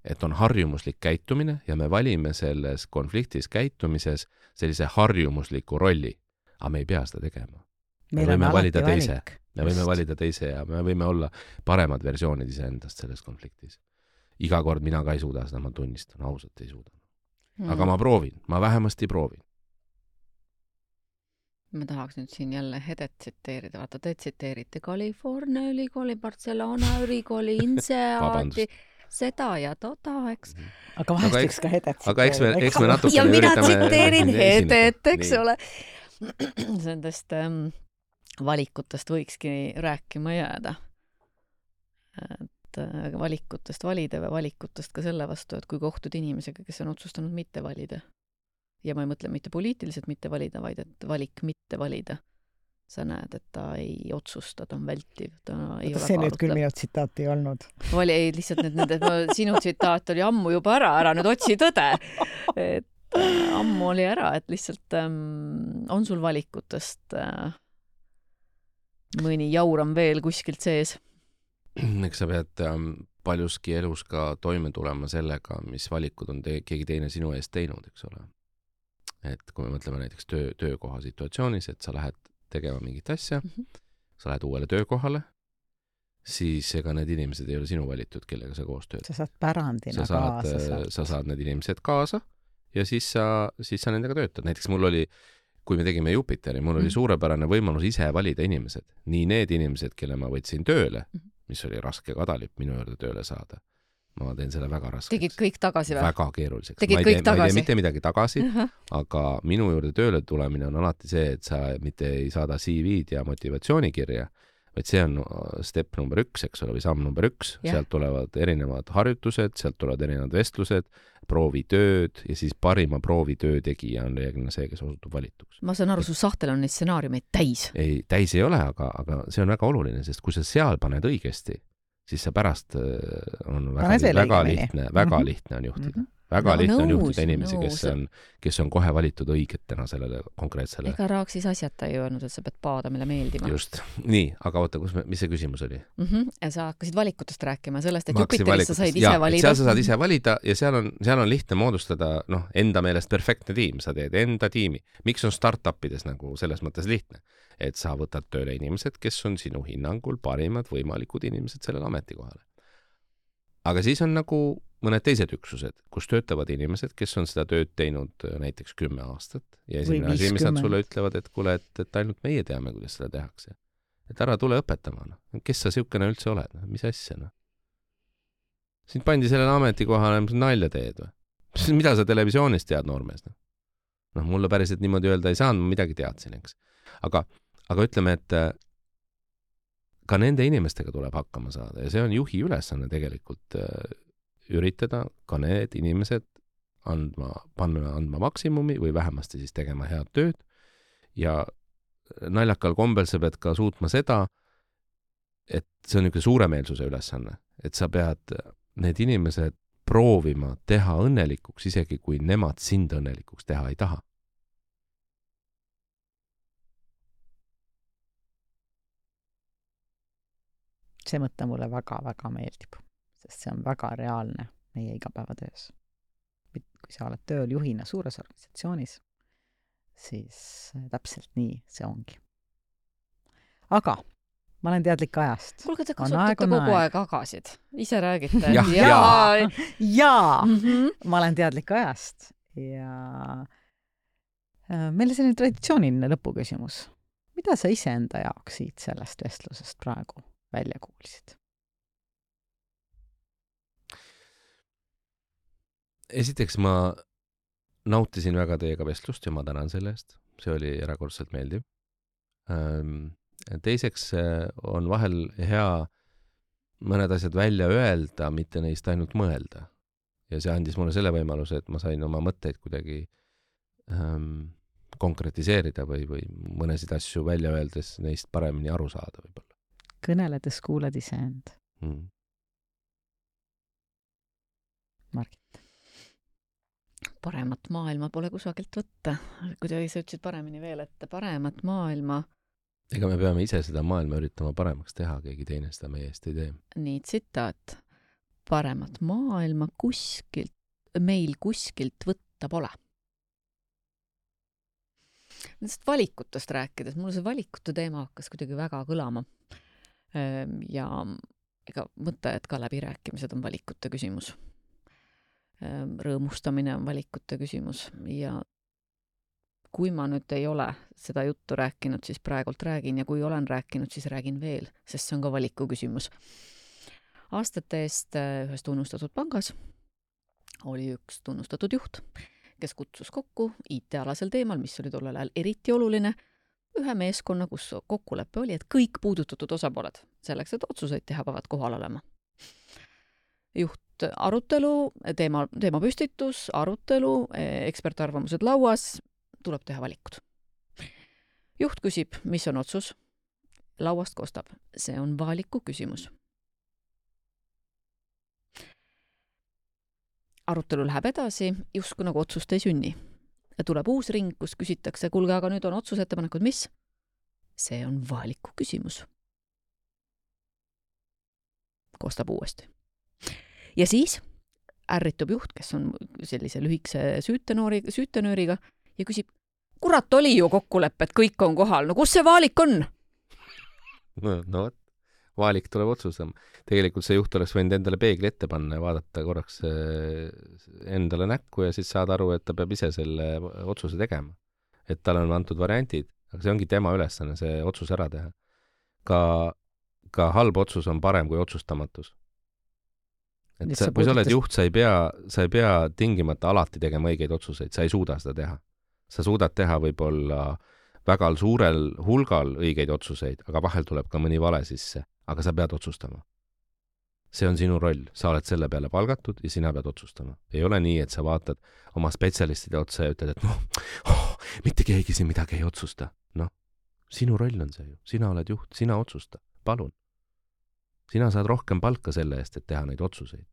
Et on harjumuslik käitumine ja me valime selles konfliktis käitumises sellise harjumusliku rolli, aga me ei pea seda tegema. Me võime valida teise, me võime valida teise ja me võime olla paremad versioonid iseendast selles konfliktis. Iga kord mina ka ei suuda seda, ma tunnistan, ausalt ei suuda. Aga mm. ma proovin, ma vähemasti proovin. Ma tahaks nüüd siin jälle Hedet tsiteerida. Vaata, te tsiteerite California ülikooli, Barcelona ülikooli, Inseaati, seda ja toda, eks. Aga vahest eks ka Hedet tsiteerida. Aga eks me, eks me natukene ja mina tsiteerin Hedet, eks nii. Ole. Sendest ähm, valikutest võikski rääkima jääda. Et äh, valikutest valida või valikutest ka selle vastu, et kui kohtud inimesega, kes on otsustanud mitte valida. Ja ma ei mõtle mitte poliitiliselt mitte valida, vaid et valik mitte valida. Sa näed, et ta ei otsusta, ta on vältiv. Ta ei Võta, see nüüd küll minu tsitaat ei olnud. Vali, ei, lihtsalt need, need, sinu tsitaat oli ammu juba ära, ära nüüd otsi tõde. Et äh, ammu oli ära, et lihtsalt ähm, on sul valikutest äh, mõni jauram veel kuskilt sees. Eks sa pead ähm, paljuski elus ka toime tulema sellega, mis valikud on te- keegi teine sinu eest teinud, eks ole. Et kui me mõtleme näiteks töö, töökoha situatsioonis, et sa lähed tegema mingit asja, mm -hmm. sa lähed uuele töökohale, siis ega need inimesed ei ole sinu valitud, kellega sa koos tööd. Sa saad pärandina sa saad, kaasa. Sa saad need inimesed kaasa ja siis sa, siis sa nendega töötad. Näiteks mul oli, kui me tegime Jupiteri, mul oli suurepärane võimalus ise valida inimesed. Nii need inimesed, kelle ma võtsin tööle, mis oli raske kadalip minu juurde tööle saada. Ma teen selle väga raskeks. Tegid kõik tagasi või? Väga keeruliseks. Tegid ma ei kõik tee, tagasi? Ma ei tee mitte midagi tagasi, uh -huh. aga minu juurde tööle tulemine on alati see, et sa mitte ei saada C V-d ja motivatsioonikirja, vaid see on step number üks, eks ole, või samm number üks. Yeah. Sealt tulevad erinevad harjutused, sealt tulevad erinevad vestlused, proovitööd ja siis parima proovitöö tegija on reeglina see, kes osutub valituks. Ma saan aru, su sahtel on neid stsenaariumeid täis. Ei, täis ei ole, aga, aga see on väga oluline, sest kui sa seal paned õigesti, siis sa pärast on väga, väga lihtne, väga mm-hmm. lihtne on juhtida. Mm-hmm. Väga no, lihtne on nõus, juhtida inimesi, nõus. kes on, kes on kohe valitud õigetena sellele konkreetsele. Ega Raak siis asjata ei öelnud, et sa pead paadamile meeldima. Just. Nii, aga oota, kus me, mis see küsimus oli? Mm-hmm. Ja sa hakkasid valikutest rääkima sellest, et Jupiteris sa said ise ja, valida. Seal sa saad ise valida ja seal on, seal on lihtne moodustada noh, enda meelest perfektne tiim. Sa teed enda tiimi. Miks on startupides nagu selles mõttes lihtne? Et sa võtad tööle inimesed, kes on sinu hinnangul parimad võimalikud inimesed sellele ametikohale. Aga siis on nagu mõned teised üksused, kus töötavad inimesed, kes on seda tööd teinud näiteks kümme aastat ja esimene asi, mis nad sulle ütlevad, et kuule, et, et ainult meie teame, kuidas seda tehakse. Et ära tule õpetama. No. Kes sa siukene üldse oled? No? Mis asja? No? Sind pandi sellele ametikohale, mis nalja teed või? Mida sa televisioonis tead noormees? No? noh, mulle päriselt niimoodi öelda ei saanud, ma midagi teadsin, eks. Aga, aga ütleme, et ka nende inimestega tuleb hakkama saada ja see on juhi ülesanne tegelikult üritada ka need inimesed andma, panna andma maksimumi või vähemasti siis tegema head tööd ja naljakal kombel sa pead ka suutma seda, et see on niisugune suuremeelsuse ülesanne, et sa pead need inimesed proovima teha õnnelikuks, isegi kui nemad sind õnnelikuks teha ei taha. See mõte mulle väga-väga meeldib, sest see on väga reaalne meie igapäevatöös. Kui sa oled tööl juhina suures organisatsioonis, siis täpselt nii see ongi. Aga ma olen teadlik ajast. Kuulge, te kasutate kogu aeg, aeg agasid. Ise räägite. Ja, ja. ja. ja. Mm-hmm. Ma olen teadlik ajast. Ja meil on selline traditsiooniline lõpuküsimus. Mida sa ise enda jaoks siit sellest vestlusest praegu välja kuulsid? Esiteks ma nautisin väga teiega vestlust ja ma tänan selle eest. See oli erakordselt meeldiv. Teiseks on vahel hea mõned asjad välja öelda, mitte neist ainult mõelda. Ja see andis mulle selle võimaluse, et ma sain oma mõtteid kuidagi ähm, konkretiseerida või, või mõnesid asju välja öeldes neist paremini aru saada võib-olla. Kõneledes kuulad iseend mm.. Margit? Paremat maailma pole kusagilt võtta. Kuidagi sa ütlesid paremini veel, et paremat maailma... Ega me peame ise seda maailma üritama paremaks teha, keegi teine seda meie eest ei tee. Nii tsitaat. Paremat maailma kuskilt, meil kuskilt võtta pole. Nendest valikutest rääkides, mulle see valikute teema hakkas kuidagi väga kõlama. Ja ega mõte, et ka läbirääkimised on valikute küsimus. Rõõmustamine on valikute küsimus ja kui ma nüüd ei ole seda juttu rääkinud, siis praegult räägin ja kui olen rääkinud, siis räägin veel, sest see on ka valiku küsimus. Aastate eest ühes tunnustatud pangas oli üks tunnustatud juht, kes kutsus kokku I T-alasel teemal, mis oli tollel ajal eriti oluline, ühe meeskonna, kus kokkulepe oli, et kõik puudutatud osapooled selleks, et otsuseid teha peavad kohal olema. Juht arutelu, teema, teema püstitus, arutelu, ekspertarvamused lauas, tuleb teha valikud. Juht küsib, mis on otsus, lauast kostab. See on valiku küsimus. Arutelu läheb edasi, justkui nagu otsust ei sünni. Ja tuleb uus ring, kus küsitakse, kuulge, aga nüüd on otsusettepanekud, mis? See on valiku küsimus. Kostab uuesti. Ja siis ärritub juht, kes on sellise lühikese süütenööri, süütenööriga ja küsib, kurat oli ju kokkulepe, et kõik on kohal, no kus see valik on? No, no valik tuleb otsustama. Tegelikult see juht oleks võinud endale peegli ette panna ja vaadata korraks endale näkku ja siis saada aru, et ta peab ise selle otsuse tegema. Et tal on antud variantid, aga see ongi tema ülesanne, see otsus ära teha. Ka, ka halb otsus on parem kui otsustamatus. Et sa, kui sa oled juht, sa ei pea, sa ei pea tingimata alati tegema õigeid otsuseid, sa ei suuda seda teha. Sa suudad teha võib-olla väga suurel hulgal õigeid otsuseid, aga vahel tuleb ka mõni vale sisse, aga sa pead otsustama. See on sinu roll, sa oled selle peale palgatud ja sina pead otsustama. Ei ole nii, et sa vaatad oma spetsialistide otsa ja ütled, et noh, oh, mitte keegi siin midagi ei otsusta. Noh, sinu roll on see ju, sina oled juht, sina otsusta, palun. Sina saad rohkem palka selle eest, et teha neid otsuseid.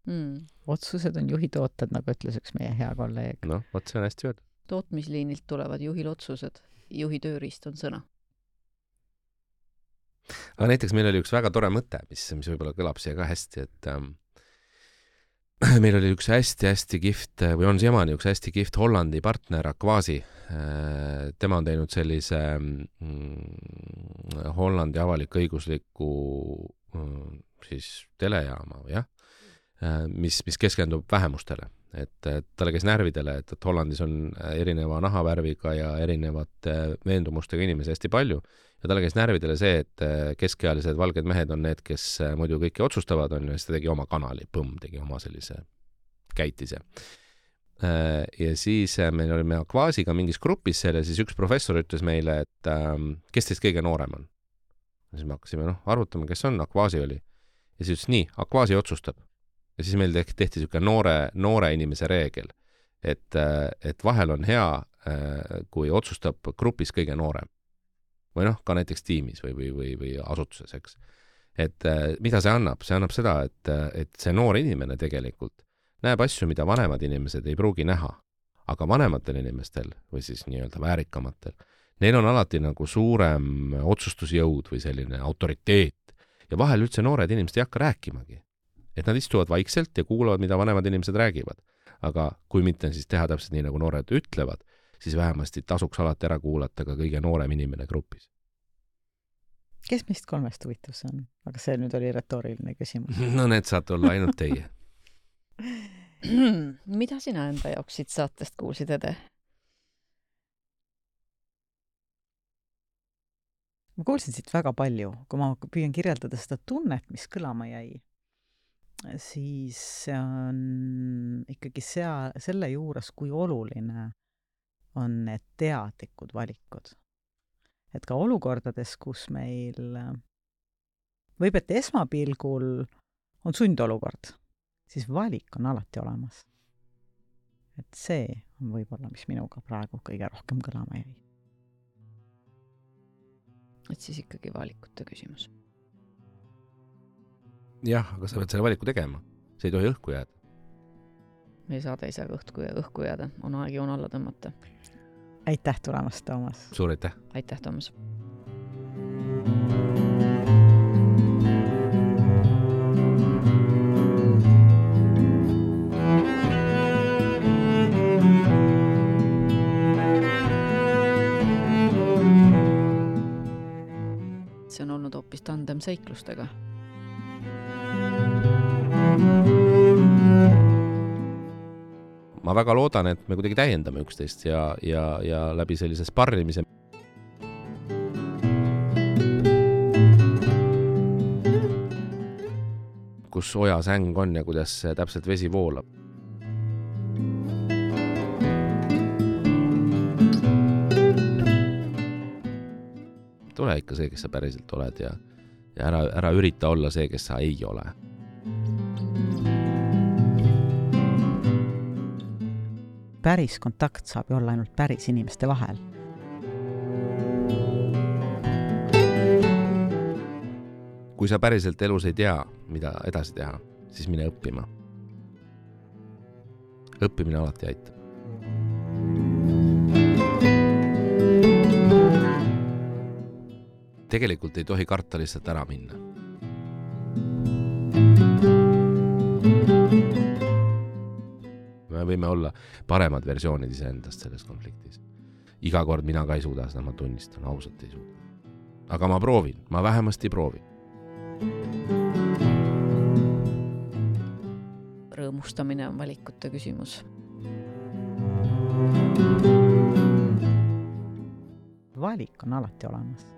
Mm. Otsused on juhi tooted, nagu ütles üks meie hea kolleeg. No, võt see on hästi öelda. Tootmisliinilt tulevad juhil otsused, juhi tööriist on sõna. Aga näiteks meil oli üks väga tore mõte, mis, mis võib-olla kõlab siia ka hästi, et ähm, meil oli üks hästi-hästi kift, või on siiamaani üks hästi kift Hollandi partner Aquasi. Äh, tema on teinud sellise mm, Hollandi avalik õigusliku mm, siis telejaama, jah, äh, mis, mis keskendub vähemustele. Et, et talle käis närvidele, et, et Hollandis on erineva nahavärviga ja erinevate veendumustega inimesi hästi palju. Ja talle käis närvidele see, et keskealised valged mehed on need, kes muidu kõiki otsustavad, on, ja siis ta tegi oma kanali, põmm, tegi oma sellise käitise. Ja siis meil olime Aquasiga mingis grupis seal ja siis üks professor ütles meile, et kes teist kõige noorem on. Ja siis me hakkasime no, arvutama, kes on, Aquasi oli. Ja siis ütles nii, Aquasi otsustab. Ja siis meil tehti, tehti siuke noore, noore inimese reegel, et, et vahel on hea, kui otsustab grupis kõige noorem. Või noh, ka näiteks tiimis või, või, või, või asutuses, eks. Et mida see annab? See annab seda, et, et see noor inimene tegelikult näeb asju, mida vanemad inimesed ei pruugi näha. Aga vanematel inimestel, või siis nii-öelda väärikamatel, neil on alati nagu suurem otsustusjõud või selline autoriteet. Ja vahel üldse noored inimesed ei hakka rääkimagi. Et nad istuvad vaikselt ja kuulavad, mida vanemad inimesed räägivad. Aga kui mitte siis teha täpselt nii, nagu noored ütlevad, siis vähemasti tasuks alati ära kuulata ka kõige noorem inimene grupis. Kes meist kolmest huvitav on? Aga see nüüd oli retooriline küsimus. No need saate olla ainult teie. Mida sina enda jaoks siit saatest kuulsid, Ede? Ma kuulsin siit väga palju, kui ma püüan kirjeldada seda tunnet, mis kõlama jäi, siis see on ikkagi sea, selle juures, kui oluline on need teadlikud valikud. Et ka olukordades, kus meil võib, et esmapilgul on sundolukord, siis valik on alati olemas. et see on võib-olla, mis minuga praegu kõige rohkem kõlama jäi. Et siis ikkagi valikute küsimus. Jah, aga sa pead selle valiku tegema. See ei tohi õhku jääda. Meie saade ei saa õhku, õhku jääda. On aeg joon alla tõmmata. Aitäh tulemast, Toomas! Suur aitäh! Aitäh, Toomas! See on olnud hoopis tandem seiklustega. Ma väga loodan, et me kuidagi täiendame üksteist ja, ja, ja läbi sellise sparrimise. Kus oja säng on ja kuidas täpselt vesi voolab. Tule ikka see, kes sa päriselt oled ja, ja ära, ära ürita olla see, kes sa ei ole. Päris kontakt saab ju olla ainult päris inimeste vahel. Kui sa päriselt elus ei tea, mida edasi teha, siis mine õppima. Õppimine alati aitab. Tegelikult ei tohi karta lihtsalt ära minna. Me võime olla paremad versioonid iseendast selles konfliktis. Iga kord mina ka ei suuda, seda ma tunnistan, ausalt ei suuda. Aga ma proovin, ma vähemasti proovin. Rõõmustamine on valikute küsimus. Valik on alati olemas.